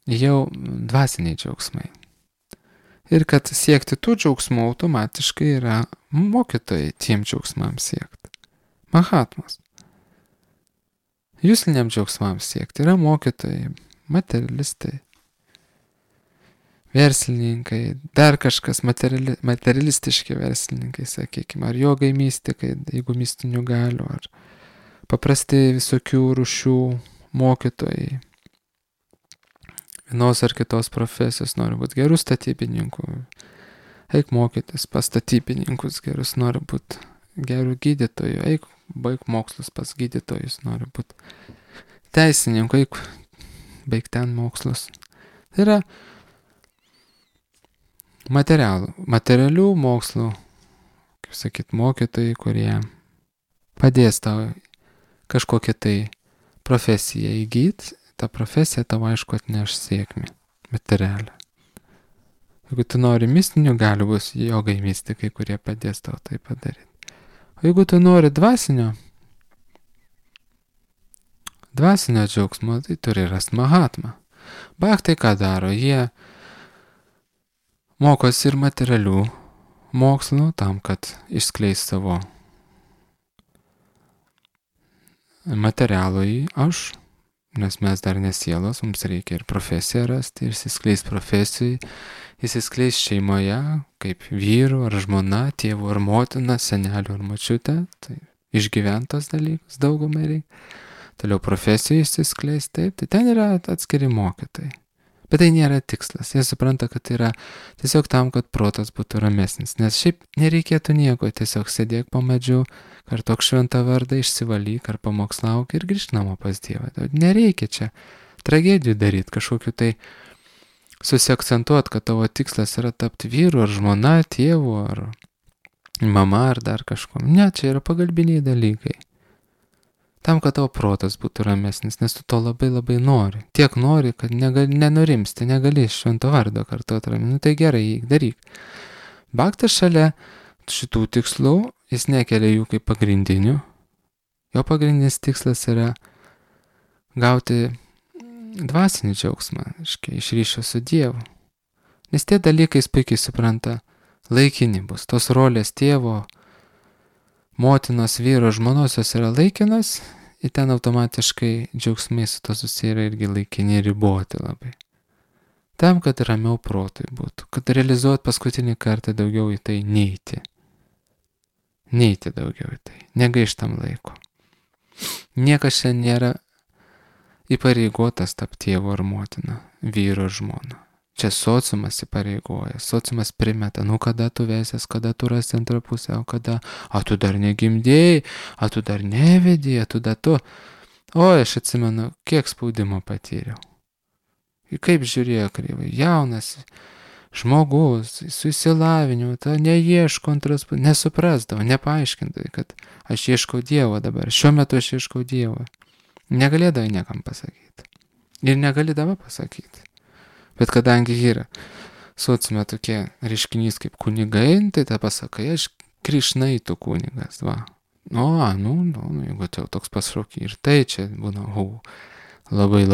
jau dvasiniai džiaugsmai. Ir kad siekti tų džiaugsmų automatiškai yra mokytojai tiem džiaugsmams siekti. Mahatmas. Jusliniam džiaugsmams siekti yra mokytojai, materialistai, verslininkai, dar kažkas materialistiški verslininkai, sakykime, ar jogai mistikai, jeigu mistinių galių, ar paprasti visokių rūšių mokytojai. Vienos ar kitos profesijos nori būti gerų statybininkų. Eik mokytis pas statybininkus gerus, nori būti gerų gydytojų. Eik baig mokslus pas gydytojus, nori būti teisininkų. Eik baig ten mokslus. Tai yra materialių mokslų, kaip sakyt, mokytojai, kurie padės tau kažkokią tai profesiją įgyti, ta profesija tau aišku atneš sėkmę materialią. Jeigu tu nori mistinių galių, bus jogai mistikai, kurie padės tau tai padaryti. O jeigu tu nori dvasinio džiaugsmo, tai turi rasti Mahatmą. Bhaktai ką daro? Jie mokosi ir materialių mokslų tam, kad išskleis savo materialų į aš, nes mes dar nesielos, mums reikia ir profesiją rasti, ir įsiskleis profesijai, įsiskleis šeimoje, kaip vyru ar žmona, tėvu ar motina, seneliu ar mačiute, tai išgyventos dalykus daugumai reikia. Toliau profesijai įsiskleis, taip, tai ten yra atskiri mokytojai. Bet tai nėra tikslas, jie supranta, kad tai yra tiesiog tam, kad protas būtų ramesnis, nes šiaip nereikėtų nieko, tiesiog sėdėk po medžiu, kartok šventą vardą, išsivalyk ar pamokslauk ir grįžk namo pas Dievą. Nereikia čia tragedijų daryti, kažkokiu tai susiakcentuoti, kad tavo tikslas yra tapti vyru ar žmona, tėvu ar mama ar dar kažkuo. Ne, čia yra pagalbiniai dalykai. Tam, kad tavo protas būtų ramesnis, nes tu to labai labai nori. Tiek nori, kad nenurimsti, negali švento vardo kartuoti ramiai. Nu tai gerai, daryk. Bhaktas šalia šitų tikslų, jis nekelia jų kaip pagrindinių. Jo pagrindinis tikslas yra gauti dvasinį džiaugsmą, iš ryšio su Dievu. Nes tie dalykai jis puikiai supranta, laikini bus. Tos rolės tėvo, motinos, vyro, žmonos jos yra laikinos, ir ten automatiškai džiaugsmai su to susiję yra irgi laikini ir riboti labai. Tam, kad ramiau protui būtų, kad realizuot paskutinį kartą daugiau į tai neiti. Neiti daugiau į tai, negaištam laiko. Niekas čia nėra įpareigotas tapti tėvu ar motina, vyru ar žmona. Čia sociumas įpareigoja, sociumas primeta, nu kada tu vesies, kada tu rasi antrą pusę, o kada, tu dar negimdėjai, tu dar nevedėjai, tu dar tu. O, aš atsimenu, kiek spaudimo patyriau. Ir kaip žiūrėjo kreivai, jaunas žmogus, su išsilavinimu, neieško antros pusės, nesuprasdavo, nepaaiškindavo, kad aš ieškau Dievo dabar, šiuo metu aš ieškau Dievo. Negalėdavo niekam pasakyti. Ir negalėdavo pasakyti. Bet kadangi yra sociume tokie reiškinys kaip kunigai, tai ta pasakai, aš Krišnaitų kunigas, va. Jeigu tai jau toks pašaukimas. Ir tai čia būna, labai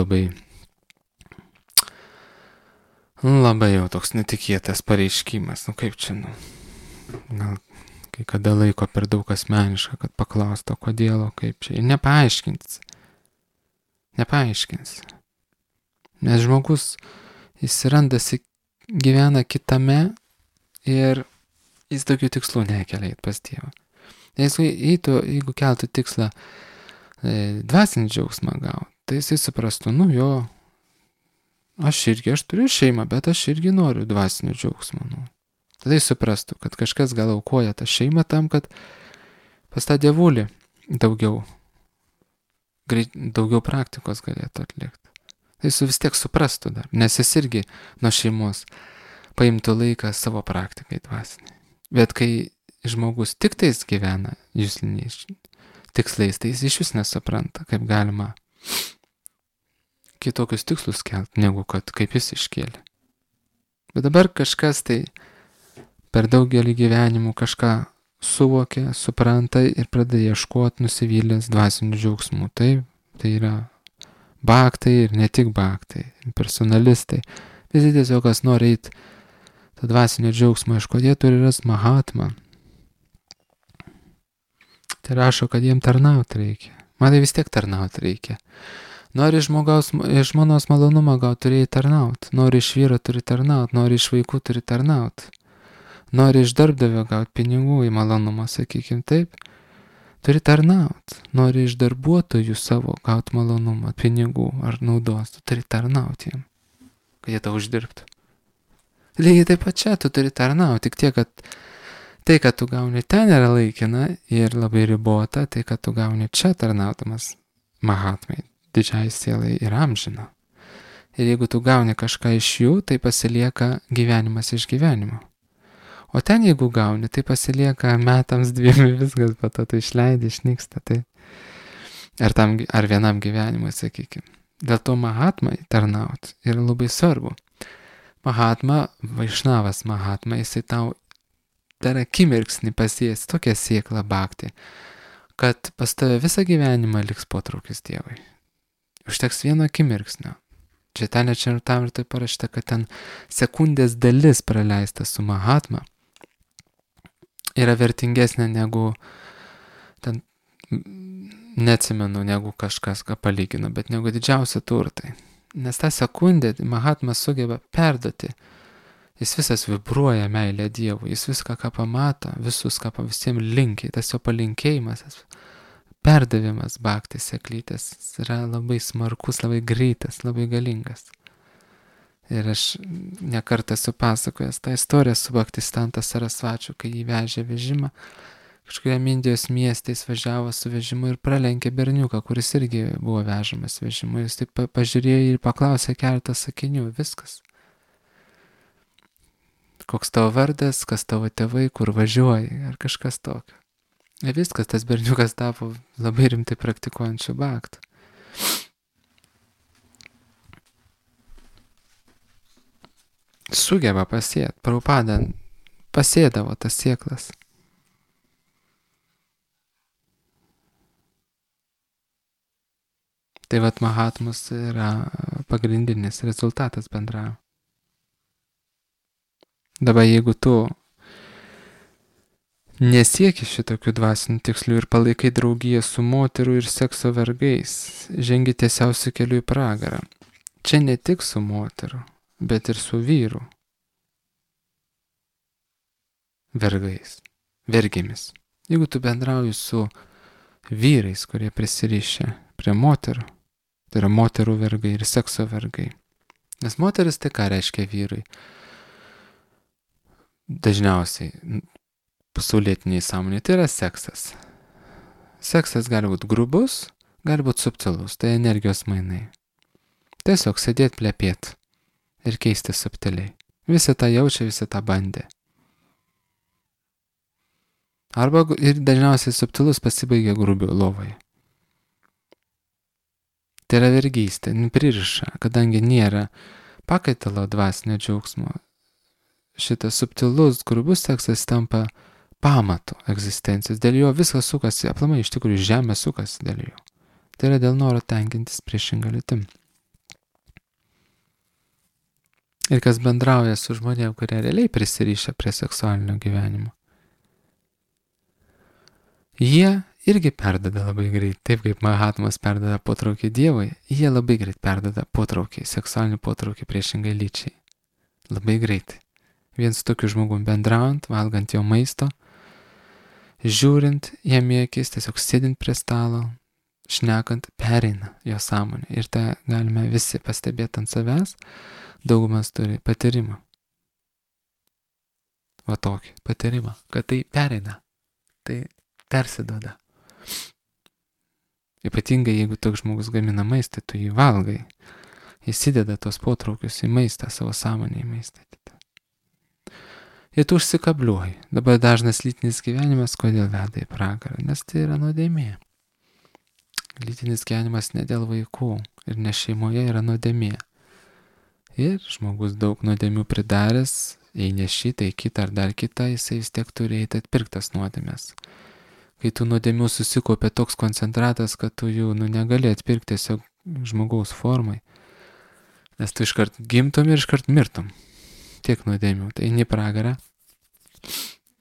jau toks netikėtas pareiškimas. Kaip čia, gal kai kada laiko per daug asmeniška, kad paklausto, kodėl, kaip čia. Ir nepaaiškins. Nes žmogus jis randasi, gyvena kitame ir jis tokių tikslų nekelia pas Dievą. Jeigu keltų tikslą dvasinį džiaugsmą gauti, tai jisai suprastų, aš turiu šeimą, bet aš irgi noriu dvasinio džiaugsmo. Tada jis suprastų, kad kažkas gal aukoja tą šeimą tam, kad pas tą dievulį daugiau praktikos galėtų atlikti. Jis vis tiek suprastų dar, nes jis irgi nuo šeimos paimtų laiką savo praktikai dvasiniai. Bet kai žmogus tik tais gyvena jusliniais tikslais, tai jis iš vis nesupranta, kaip galima kitokius tikslus kelti, negu kad kaip jis iškėlė. Bet dabar kažkas tai per daugelį gyvenimų kažką suvokia, supranta ir pradeda ieškoti nusivylęs dvasinių džiaugsmų. Tai yra bhaktai ir ne tik bhaktai, personalistai. Visi tiesiog, kas nori eiti tą dvasinio džiaugsmą, jie turi rasti mahatmą. Tai rašo, kad jiem tarnauti reikia. Man tai vis tiek tarnauti reikia. Nori žmonos malonumą gauti, turi tarnauti. Nori iš vyro turi tarnauti, nori iš vaikų turi tarnauti. Nori iš darbdavio gauti pinigų į malonumą, sakykime taip. Turi tarnauti. Nori iš darbuotojų savo gauti malonumą, pinigų ar naudos. Tu turi tarnauti jiem, kad jie tau uždirbtų. Lygiai taip pat čia tu turi tarnauti. Tik tiek, kad tai, kad tu gauni ten yra laikina ir labai ribota, tai, kad tu gauni čia tarnaudamas mahatmai, didžiai sielai ir amžina. Ir jeigu tu gauni kažką iš jų, tai pasilieka gyvenimas iš gyvenimo. O ten jeigu gauni, tai pasilieka metams, 2 viskas, po to tu išleidi, išnyksta. Tai. Ar vienam gyvenimui, sakykime. Dėl to mahatmai tarnauti yra labai svarbu. Mahatma, Vaišnavas Mahatma, jisai tau dar akimirksnį pasies tokią sėklą bhakti, kad pas tave visą gyvenimą liks potraukis Dievui. Užteks vieno akimirksnio. Čia ten ir tam ir tai parašyta, kad ten sekundės dalis praleista su Mahatma yra vertingesnė negu ten neatsimenu, negu kažkas, ką palygino, bet negu didžiausi turtai. Nes tą sekundę Mahatma sugeba perduoti. Jis visas vibruoja meilę Dievui, jis viską, ką pamato, visus, ką visiems linkiai, tas jo palinkėjimas, perdavimas bhakti seklytės yra labai smarkus, labai greitas, labai galingas. Ir aš nekartą esu pasakojęs tą istoriją su Bhaktisiddhanta Sarasvačiu, kai jį vežė vežimą, kažkuriam Indijos mieste jis važiavo su vežimu ir pralenkė berniuką, kuris irgi buvo vežamas vežimu. Jis taip pažiūrėjo ir paklausė keletą sakinių, viskas. Koks tavo vardas, kas tavo tėvai, kur važiuoji, ar kažkas tokio. Ir viskas, tas berniukas tapo labai rimtai praktikuojančiu bhaktu. Sugeba pasėti, Prabhupada pasėdavo tas sėklas. Tai vat Mahatmos yra pagrindinis rezultatas bendravimo. Dabar jeigu tu nesieki šitokių dvasinių tikslų ir palaikai draugiją su moterų ir sekso vergais, žengi tiesiausiu keliu į pragarą. Čia ne tik su moterų, bet ir su vyrų vergais, vergėmis. Jeigu tu bendrauji su vyrais, kurie prisirišę prie moterų, tai yra moterų vergai ir sekso vergai. Nes moteris tai ką reiškia vyrai? Dažniausiai pasaulietiniai sąmonė tai yra seksas. Seksas gali būti grubus, gali būti subtilus, tai energijos mainai. Tiesiog sėdėti plepėti ir keisti subtiliai. Visi tą jaučia, visi tą bandė. Arba ir dažniausiai subtilus pasibaigia grubiu lovoje. Tai yra vergystė, pririša, kadangi nėra pakaitalo dvasinio džiaugsmo. Šitas subtilus, grubus seksas tampa pamatu egzistencijos. Dėl jo viskas sukasi, aplamai iš tikrųjų žemė sukasi dėl jo. Tai yra dėl noro tenkintis priešingą lytim. Ir kas bendrauja su žmonėm, kurie realiai prisirišę prie seksualinio gyvenimo, jie irgi perdada labai greit, taip kaip Mahatmas perdada potraukį Dievui, jie labai greit perdada potraukį, seksualinį potraukį priešingai lyčiai. Labai greitai. Vien su tokiu žmogum bendraujant, valgant jo maisto, žiūrint jam į akis, tiesiog sėdint prie stalo, šnekant, pereina jo sąmonė. Ir tą galime visi pastebėti ant savęs, daugumas turi patyrimą. Va tokį patyrimą, kad tai pereina, tai persiduoda. Ypatingai jeigu toks žmogus gamina maistą, tu jį valgai, įsideda tos potraukius į maistą, savo sąmonę į maistą. Ir tu užsikabliuoji. Dabar dažnas lytinis gyvenimas, kodėl veda į pragarą? Nes tai yra nuodėmė. Lytinis gyvenimas ne dėl vaikų ir ne šeimoje yra nuodėmė. Ir žmogus daug nuodėmių pridaręs, jei ne šitą, į kitą ar dar kitą, jisai vis tiek turi eiti atpirktas nuodėmės. Kai tų nuodėmių susikopė toks koncentratas, kad tu jų negali atpirkti tiesiog žmogaus formai, nes tu iškart gimtum ir iškart mirtum. Tiek nuodėmių. Tai eini pragarą,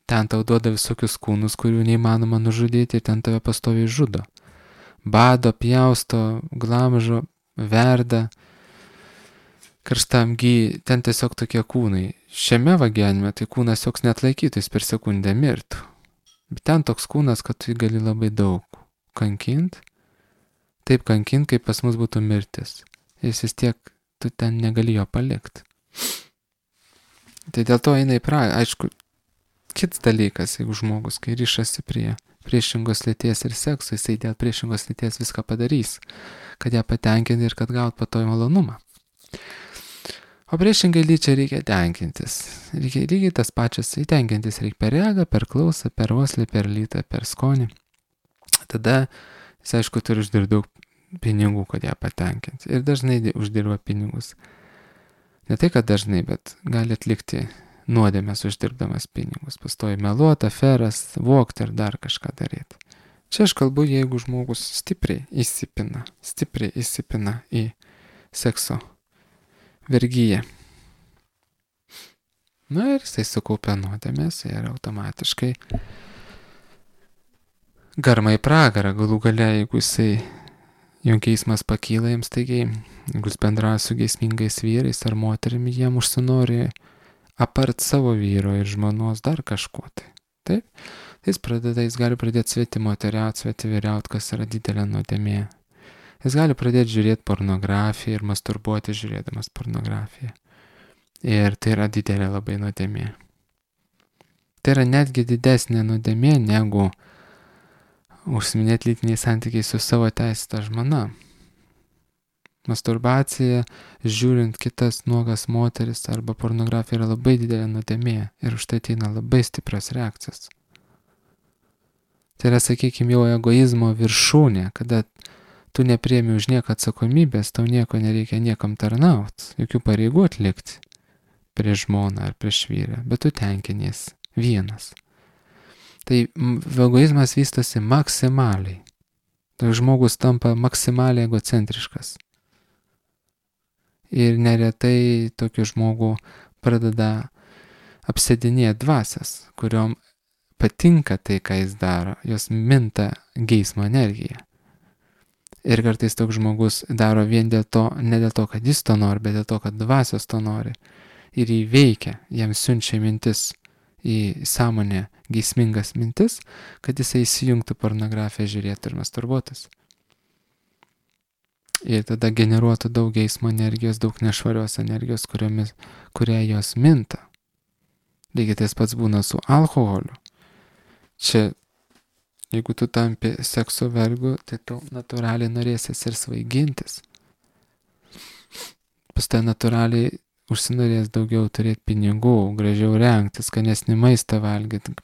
ten tau duoda visokius kūnus, kurių neįmanoma nužudyti ir ten tave pastoviai žudo. Bado, pjausto, glamžo, verda, karštam gy, ten tiesiog tokie kūnai. Šiame gyvenime tai kūnas joks net laikytų, jis per sekundę mirtų. Bet ten toks kūnas, kad tu jį gali labai daug kankint, taip kankint, kaip pas mus būtų mirtis. Jis vis tiek, tu ten negali jo palikti. Tai dėl to eina į pragarą. Aišku, kits dalykas, jeigu žmogus, kai ryšasi prie priešingos lyties ir sekso, jisai dėl priešingos lyties viską padarys, kad ją patenkinti ir kad gaut patoj malonumą. O priešingai lyčiai reikia tenkintis. Reikia lygiai tas pačias įtenkintis reikia per regą, per klausą, per uoslę, per lytą, per skonį. Tada jis, aišku, turi uždirbti daug pinigų, kad ją patenkinti. Ir dažnai uždirba pinigus. Ne tai, kad dažnai, bet gali atlikti nuodėmės uždirbdamas pinigus. Pastoji meluoti, aferas, vogti ir dar kažką daryti. Čia aš kalbu, jeigu žmogus stipriai įsipina į sekso vergyje. Na ir jisai sukaupia nuodėmės ir automatiškai garma į pragarą. Galų gale, jeigu jo geismas pakyla jiems staigiai, jeigu jis bendrauja su geismingais vyrais ar moterimi, jiem užsinori apart savo vyro ir žmonos dar kažko tai. Taip? Jis gali pradėti svetimoteriaut, svetivyriaut, kas yra didelė nuodėmė. Jis gali pradėti žiūrėti pornografiją ir masturbuoti žiūrėdamas pornografiją. Ir tai yra didelė labai nuodėmė. Tai yra netgi didesnė nuodėmė negu užsiminėti lytiniais santykiais su savo teisėta žmona. Masturbacija, žiūrint kitas nuogas moteris arba pornografija yra labai didelė nuodėmė ir už tai ateina labai stiprios reakcijos. Tai yra, sakykime, jau egoizmo viršūnė, kada tu nepriemi už nieką atsakomybės, tau nieko nereikia niekam tarnauti, jokių pareigų atlikti prieš žmoną ar prieš vyrą, bet tu tenkinies vienas. Tai egoizmas vystosi maksimaliai. Tai žmogus tampa maksimaliai egocentriškas. Ir neretai tokį žmogų pradeda apsėdinėti dvasias, kuriom patinka tai, ką jis daro, jos minta geismo energiją. Ir kartais toks žmogus daro vien dėl to, ne dėl to, kad jis to nori, bet dėl to, kad dvasios to nori. Ir įveikia, jam siunčia mintis į sąmonę geismingas mintis, kad jisai įsijungtų pornografiją žiūrėti ir masturbuotis. Ir tada generuotų daug geismo energijos, daug nešvarios energijos, kuria jos minta. Lygiai tas pats būna su alkoholiu. Čia, jeigu tu tampi sekso vergu, tai tu natūraliai norėsis ir svaigintis. Pas tai natūraliai užsinorės daugiau turėti pinigų, gražiau rengtis, skanesnį maistą valgyti,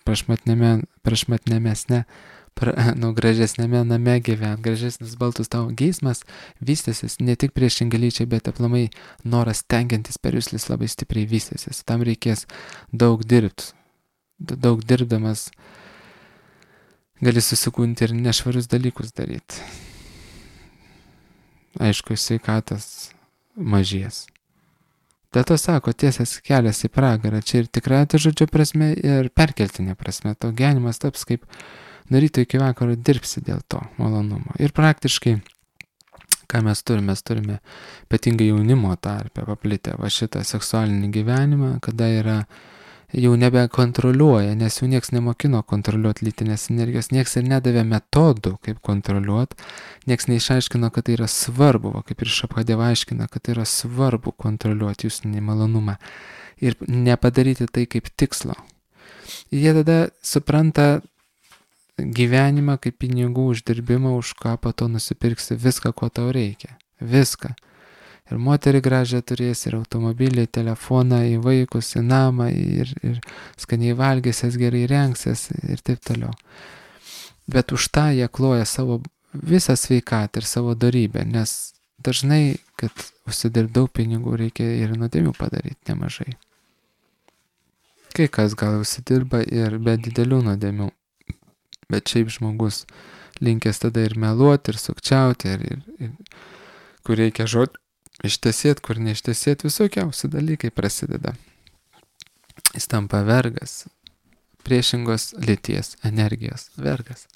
gražesnėme name gyventi, gražesnis baltus tavo geismas vystysis ne tik priešingai lyčiai, bet aplamai noras tenkintis per juslis labai stipriai vystysis. Tam reikės daug dirbti. Daug dirbdamas gali susikūnti ir nešvarius dalykus daryti. Aišku, sveikatas mažės. Dėl to sako, tiesias kelias į pragarą. Čia ir tikrąja to žodžio prasme, ir perkeltinė prasme. Tau gyvenimas taps kaip nuo ryto iki vakaro dirbsi dėl to malonumo. Ir praktiškai, ką mes turime ypatingai jaunimo tarpe paplitę va šitą seksualinį gyvenimą, kada yra jau nebekontroliuoja, nes jau nieks nemokino kontroliuoti lytinės energijos, nieks ir nedavė metodų, kaip kontroliuoti, nieks neišaiškino, kad tai yra svarbu, kaip ir Šabhadeva aiškina, kad tai yra svarbu kontroliuoti jūsų nemalonumą ir nepadaryti tai kaip tikslo. Ir jie tada supranta gyvenimą kaip pinigų uždirbimą, už ką po to nusipirksi viską, ko tau reikia. Viską. Ir moterį gražią turės, ir automobilį, telefoną, į vaikus, į namą, ir skaniai valgysies, gerai rengsies ir taip toliau. Bet už tą jie kloja savo visą sveikatą ir savo dorybę, nes dažnai, kad užsidirbti daug pinigų, reikia ir nuodėmių padaryti nemažai. Kai kas gal užsidirba ir be didelių nuodėmių, bet šiaip žmogus linkęs tada ir meluoti, ir sukčiauti, ir kur reikia žodžiu ištesėti, kur neištesėti, visokiausi dalykai prasideda. Jis tampa vergas, priešingos lyties energijos vergas.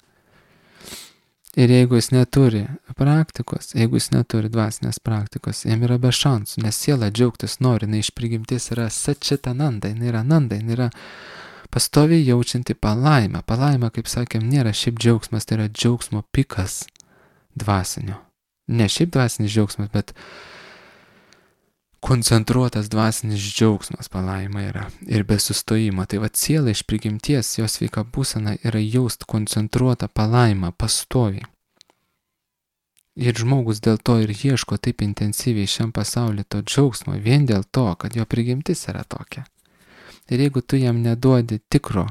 Ir jeigu jis neturi praktikos, jeigu jis neturi dvasinės praktikos, jam yra be šansų, nes siela džiaugtis nori, jinai iš prigimties yra sačitananda, jinai yra nanda, jinai yra pastoviai jaučianti palaimą. Palaima, kaip sakėm, nėra šiaip džiaugsmas, tai yra džiaugsmo pikas dvasinio. Ne šiaip dvasinis džiaugsmas, bet koncentruotas dvasinis džiaugsmas palaima yra ir be sustojimo. Tai va siela iš prigimties, jos sveika būsena yra jaust koncentruotą palaimą pastoviai. Ir žmogus dėl to ir ieško taip intensyviai šiam pasauliu to džiaugsmo, vien dėl to, kad jo prigimtis yra tokia. Ir jeigu tu jam neduodi tikro,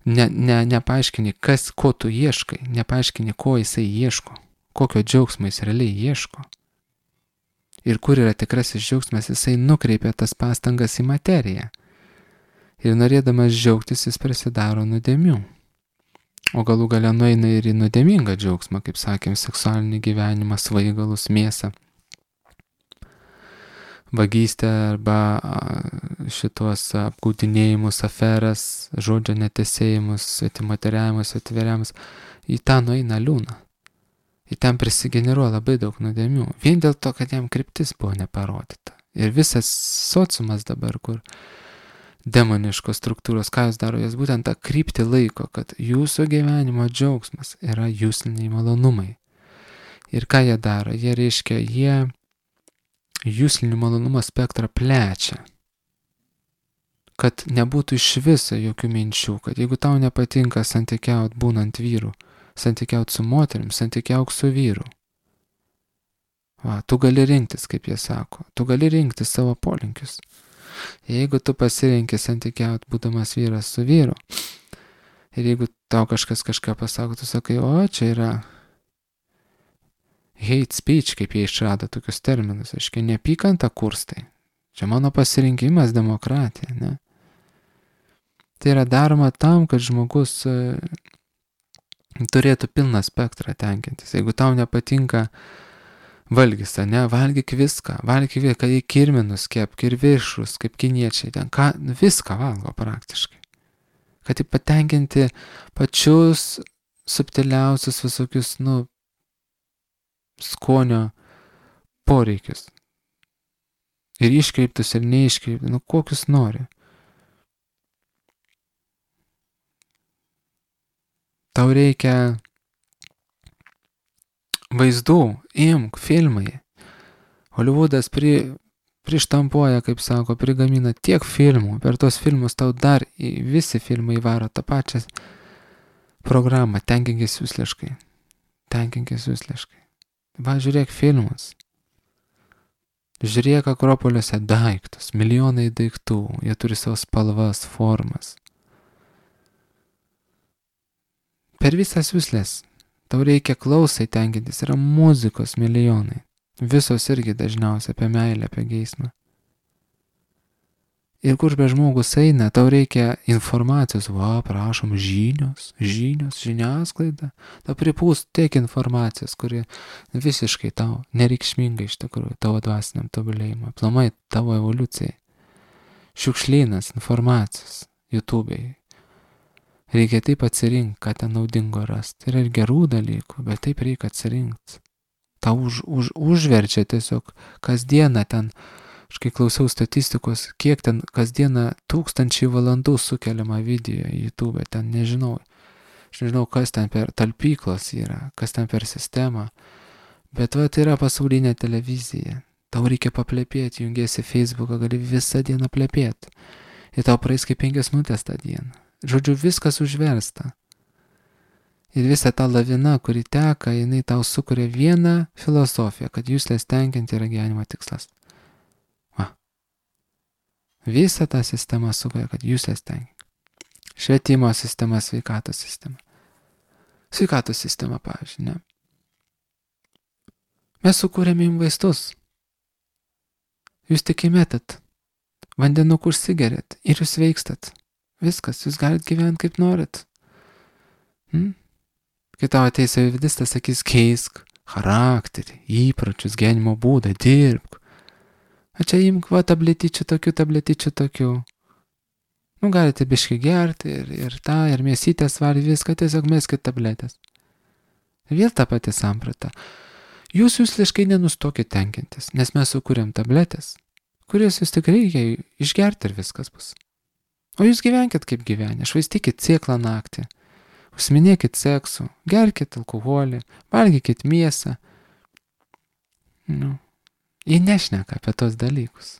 nepaaiškini, ko tu ieškai, nepaaiškini, ko jisai ieško, kokio džiaugsmo jis realiai ieško. Ir kur yra tikrasis džiaugsmas, jisai nukreipia tas pastangas į materiją. Ir norėdamas džiaugtis, jis prasidaro nuodėmių. O galų gale nueina ir į nuodėmingą džiaugsmą, kaip sakėm, seksualinį gyvenimą, svaigalus, mėsą. vagystę arba šitos apgaudinėjimus, aferas, žodžio netesėjimus, svetimateriavimus, svetiveriavimus, į tą nueina liūną. Į ten prisigeneruoja labai daug nuodėmių. Vien dėl to, kad jam kryptis buvo neparodyta. Ir visas sociumas dabar, kur demoniškos struktūros, ką jūs daro, jos būtent tą kryptį laiko, kad jūsų gyvenimo džiaugsmas yra jūsliniai malonumai. Ir ką jie daro? Jie jūslinių malonumo spektrą plečia. Kad nebūtų iš viso jokių minčių, kad jeigu tau nepatinka santykiaut būnant vyru, santykiaut su moterim, santykiauk su vyru. Tu gali rinktis, kaip jie sako, tu gali rinktis savo polinkius. Jeigu tu pasirenki santykiaut būdamas vyras su vyru, ir jeigu tau kažkas kažką pasako, tu sakai, o čia yra hate speech, kaip jie išrado tokius terminus, aiškiai, neapykantą kurstai. Čia mano pasirinkimas, demokratija, ne? Tai yra daroma tam, kad žmogus turėtų pilną spektrą tenkintis. Jeigu tau nepatinka valgys, ne, valgyk viską, kad į kirminus kepk ir viršus, kaip kiniečiai, ten viską valgo praktiškai. Kad patenkinti pačius subtiliausius visokius, skonio poreikius. Ir iškreiptus ir neiškreiptus, kokius nori. Tau reikia vaizdų, imk, filmai. Holivudas prištampuoja, kaip sako, prigamina tiek filmų. Per tos filmus tau dar visi filmai varo tą pačią programą. Tenkinkis jūsliškai. Va, žiūrėk filmus. Žiūrėk Akropoliuose daiktus. Milijonai daiktų. Jie turi savo spalvas, formas. Per visas jūslės. Tau reikia klausai tenkintis, yra muzikos milijonai. Visos irgi dažniausiai apie meilę, apie geismą. Ir kur be žmogus eina, tau reikia informacijos, prašom, žiniasklaida. Tau pripūst tiek informacijos, kuri visiškai tau nereikšminga iš tikrųjų, tavo dvasiniam tobulėjimui, aplamai tavo evoliucijai. Šiukšlynas informacijos, YouTube'ai. Reikia taip atsirinkti, ką ten naudingo rasti. Yra ir gerų dalykų, bet taip reikia atsirinkti. Tau užverčia tiesiog kasdieną ten, aš kai klausiau statistikos, kiek ten kasdieną 1000 valandų sukeliama video į YouTube, ten nežinau. Aš nežinau, kas ten per talpyklos yra, kas ten per sistemą. Bet tai yra pasaulinė televizija. Tau reikia paplepėti, jungiesi Facebooką, gali visą dieną plepėti. Ir tau praeis kaip 5 minutės tą dieną. Žodžiu, viskas užversta. Ir visa ta lavina, kuri teka, jinai tau sukuria vieną filosofiją, kad jūslės tenkinti yra gyvenimo tikslas. Visa ta sistema sukuria, kad jūslės tenkinti. Švietimo sistema, sveikatos sistema. Sveikatos sistema, pavyzdžiui, ne? Mes sukūrėme jums vaistus. Jūs tik įmetat, vandenukų užsigerėt ir jūs veikstat. Viskas, jūs galite gyventi kaip norit. Kai tau ateis savividistas, sakys, keisk charakterį, įpročius, gyvenimo būdą, dirbk. A čia imk, tabletyčių tokių. Galite biškai gerti ir mėsytės valgyti, viską, tiesiog meskit tabletės. Vėl ta pati samprata. Jūs jūsliškai nenustokit tenkintis, nes mes sukūrėm tabletės, kurias jūs tik reikia išgerti ir viskas bus. O jūs gyvenkit kaip gyvenę, švaistykit sėklą naktį, užsiminėkit seksu, gerkit alkoholį, valgykit mėsą. Jie nešneka apie tos dalykus.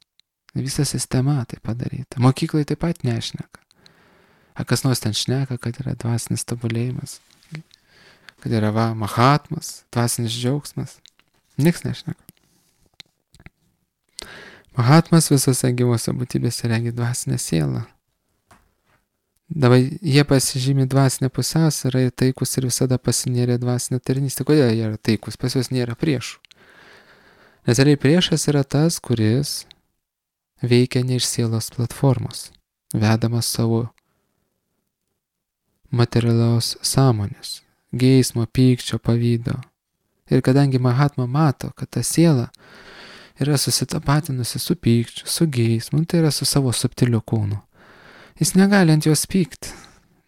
Visa sistema tai padaryta. Mokyklai taip pat nešneka. Kas nors ten šneka, kad yra dvasinis tobulėjimas, kad yra mahatmas, dvasinis džiaugsmas. Niks nešneka. Mahatmas visose gyvose būtybėse regi dvasinę sielą. Dabar jie pasižymi dvasinę pusiausvyrą ir taikus ir visada pasinėrė dvasinę tarnystę. Kodėl jie yra taikus? Pas juos nėra priešų. Nes realiai priešas yra tas, kuris veikia ne iš sielos platformos, vedamas savo materialios sąmonės, geismo, pykčio, pavydo. Ir kadangi Mahatma mato, kad ta siela yra susitapatinusi su pykčiu, su geismu, tai yra su savo subtiliu kūnu. Jis negali ant jos pykti,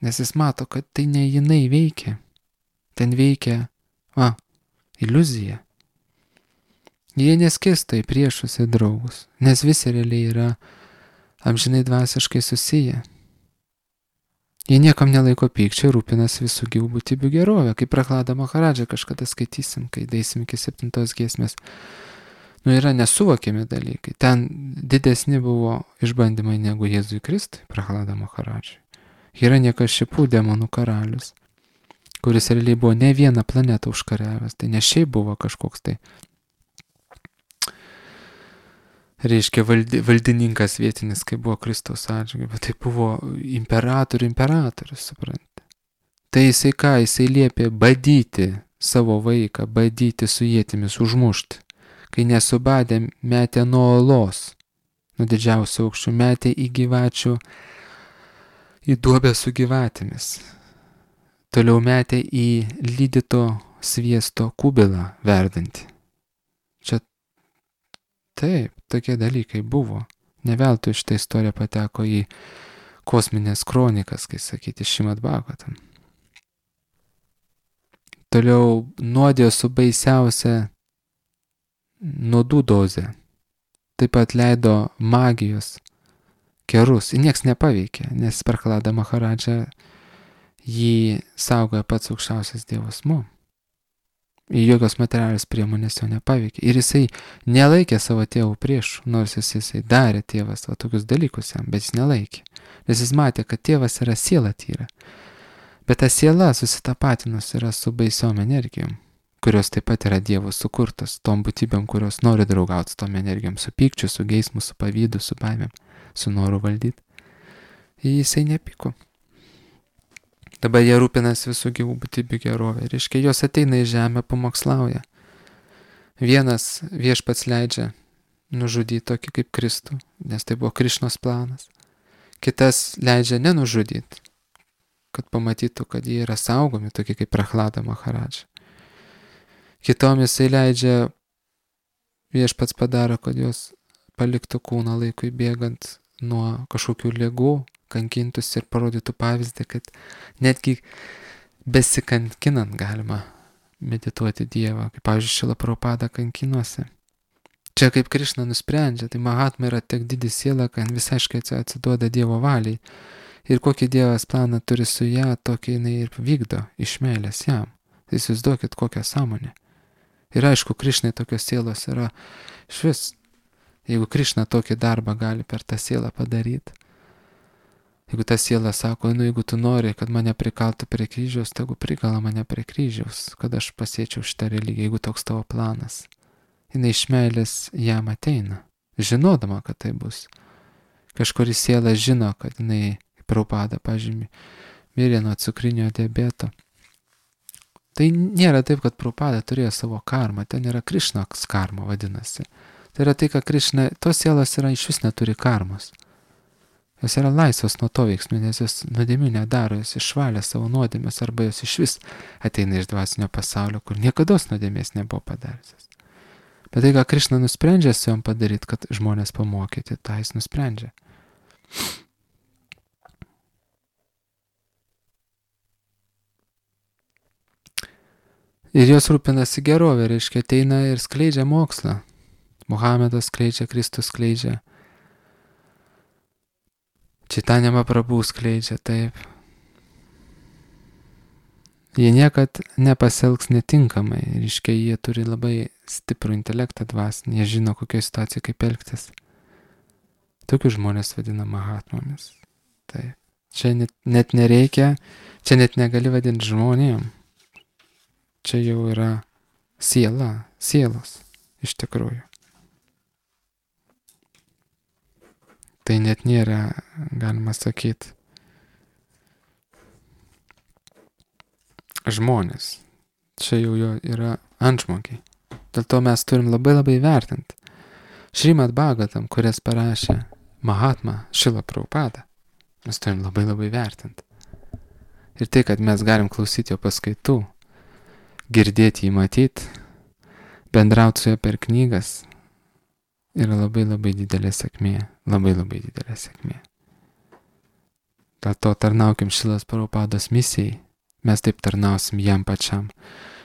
nes jis mato, kad tai ne jinai veikia. Ten veikia, iliuzija. Jie neskirsto į priešus ir draugus, nes visi realiai yra amžinai dvasiškai susiję. Jie niekam nelaiko pykčio ir rūpinasi visų gyvų būtybių gerovę, kaip Prahlada Maharadža kažkada skaitysim, kai deisim iki 7 giesmės. Yra nesuvokiami dalykai. Ten didesni buvo išbandymai negu Jėzui Kristui, Prahlada Maharadžai. Hiranyakšipų demonų karalius, kuris realiai buvo ne vieną planetą užkariavęs, tai ne šiaip buvo kažkoks tai, reiškia, valdininkas vietinis, kai buvo Kristaus atžvilgiu, bet tai buvo imperatorius, suprantate. Tai jisai ką, jisai liepė badyti savo vaiką, badyti su ietimis, užmušti. Kai nesubadė, metė nuo olos, nuo didžiausio aukščių, metė į gyvačių, į duobę su gyvatėmis. Toliau metė į lydyto sviesto kubilą verdantį. Čia taip, tokie dalykai buvo. Ne veltui šitą istoriją pateko į kosminės kronikas, kai sakyti, Šrimad Bhagavatam. Toliau nuodėjo su baisiausia nuodų dozė. Taip pat leido magijos kerus. Ir nieks nepaveikė, nes Prahlada Maharadža jį saugoja pats aukščiausias Dievas asmuo. Ir jokios materialios priemonės jo nepaveikė. Ir jisai nelaikė savo tėvų priešų, nors jisai darė tėvas tokius dalykus jam, bet jis nelaikė. Nes jis matė, kad tėvas yra siela tyra. Bet ta siela susitapatinus yra su baisiom energijom, kurios taip pat yra Dievo sukurtos, tom būtybėm, kurios nori draugauti su tom energijom, su pykčiu, su geismu, su pavydu, su baimėm, su noru valdyti. Ir jisai nepyko. Dabar jie rūpinasi visų gyvų būtybių gerovę. Reiškia, jos ateina į žemę, pamokslauja. Vienas viešpats leidžia nužudyti tokį kaip Kristų, nes tai buvo Krišnos planas. Kitas leidžia nenužudyti, kad pamatytų, kad jie yra saugomi, tokie kaip Prahlada Maharadža. Kitom jisai leidžia, viešpats padaro, kad jos paliktų kūną laikui bėgant nuo kažkokių ligų, kankintųsi ir parodytų pavyzdį, kad netgi besikankinant galima medituoti Dievą, kaip pavyzdžiui Šrila Prabhupada kankinuose. Čia kaip Krišna nusprendžia, tai Mahatma yra tiek didi siela, kad visiškai atsiduoda Dievo valiai. Ir kokį Dievas planą turi su ją, tokį jinai ir vykdo iš meilės jam. Tai įsivaizduokit kokią sąmonę. Ir aišku, Krišnai tokios sielos yra švis. Jeigu Krišna tokį darbą gali per tą sielą padaryti, jeigu ta siela sako, jeigu tu nori, kad mane prikaltų prie kryžiaus, tegu prikala mane prie kryžiaus, kad aš pasiečiau šitą religiją, jeigu toks tavo planas. Jinai iš meilės jam ateina, žinodama, kad tai bus. Kažkuri siela žino, kad jinai Prabhupada, pažymį, mirė nuo cukrinio diabeto. Tai nėra taip, kad Prabhupada turėjo savo karmą, ten yra Krišnos karma vadinasi. Tai yra tai, kad Krišna, tos sielos yra iš vis neturi karmos. Jos yra laisvos nuo to veiksmų, nes jos nuodėmių nedaro, jos išvalė savo nuodėmės, arba jos iš vis ateina iš dvasinio pasaulio, kur niekados nuodėmės nebuvo padariusios. Bet tai, ką Krišna nusprendžia su jom padaryti, kad žmonės pamokyti, tą jis nusprendžia. Ir jos rūpinasi gerovė, reiškia, ateina ir skleidžia mokslą. Muhamedas skleidžia, Kristus skleidžia. Čitanja Mahaprabhu skleidžia, taip. Jie niekad nepasielgs netinkamai, reiškia, jie turi labai stiprų intelektą dvasinį, jie žino, kokioje situacijoje kaip elgtis. Tokius žmonės vadina Mahatmomis. Taip. Čia net nereikia, čia net negali vadinti žmonėm. Čia jau yra siela, sielos, iš tikrųjų. Tai net nėra, galima sakyti, žmonės. Čia jau jo yra antžmogiai. Dėl to mes turim labai vertinti. Šrimad Bhagavatam, kurias parašė Mahatma Šrila Prabhupada, mes turim labai vertinti. Ir tai, kad mes galim klausyti jo paskaitų, girdėti jį matyti, bendrauti su juo per knygas, yra labai labai didelė sėkmė. Labai labai didelė sėkmė. Dėl to tarnaukim Šilos Prabhupados misijai. Mes taip tarnausim jam pačiam.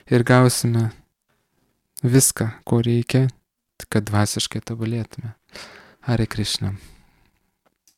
Ir gausime viską, ko reikia, kad dvasiškai tobulėtume. Hare Krishna.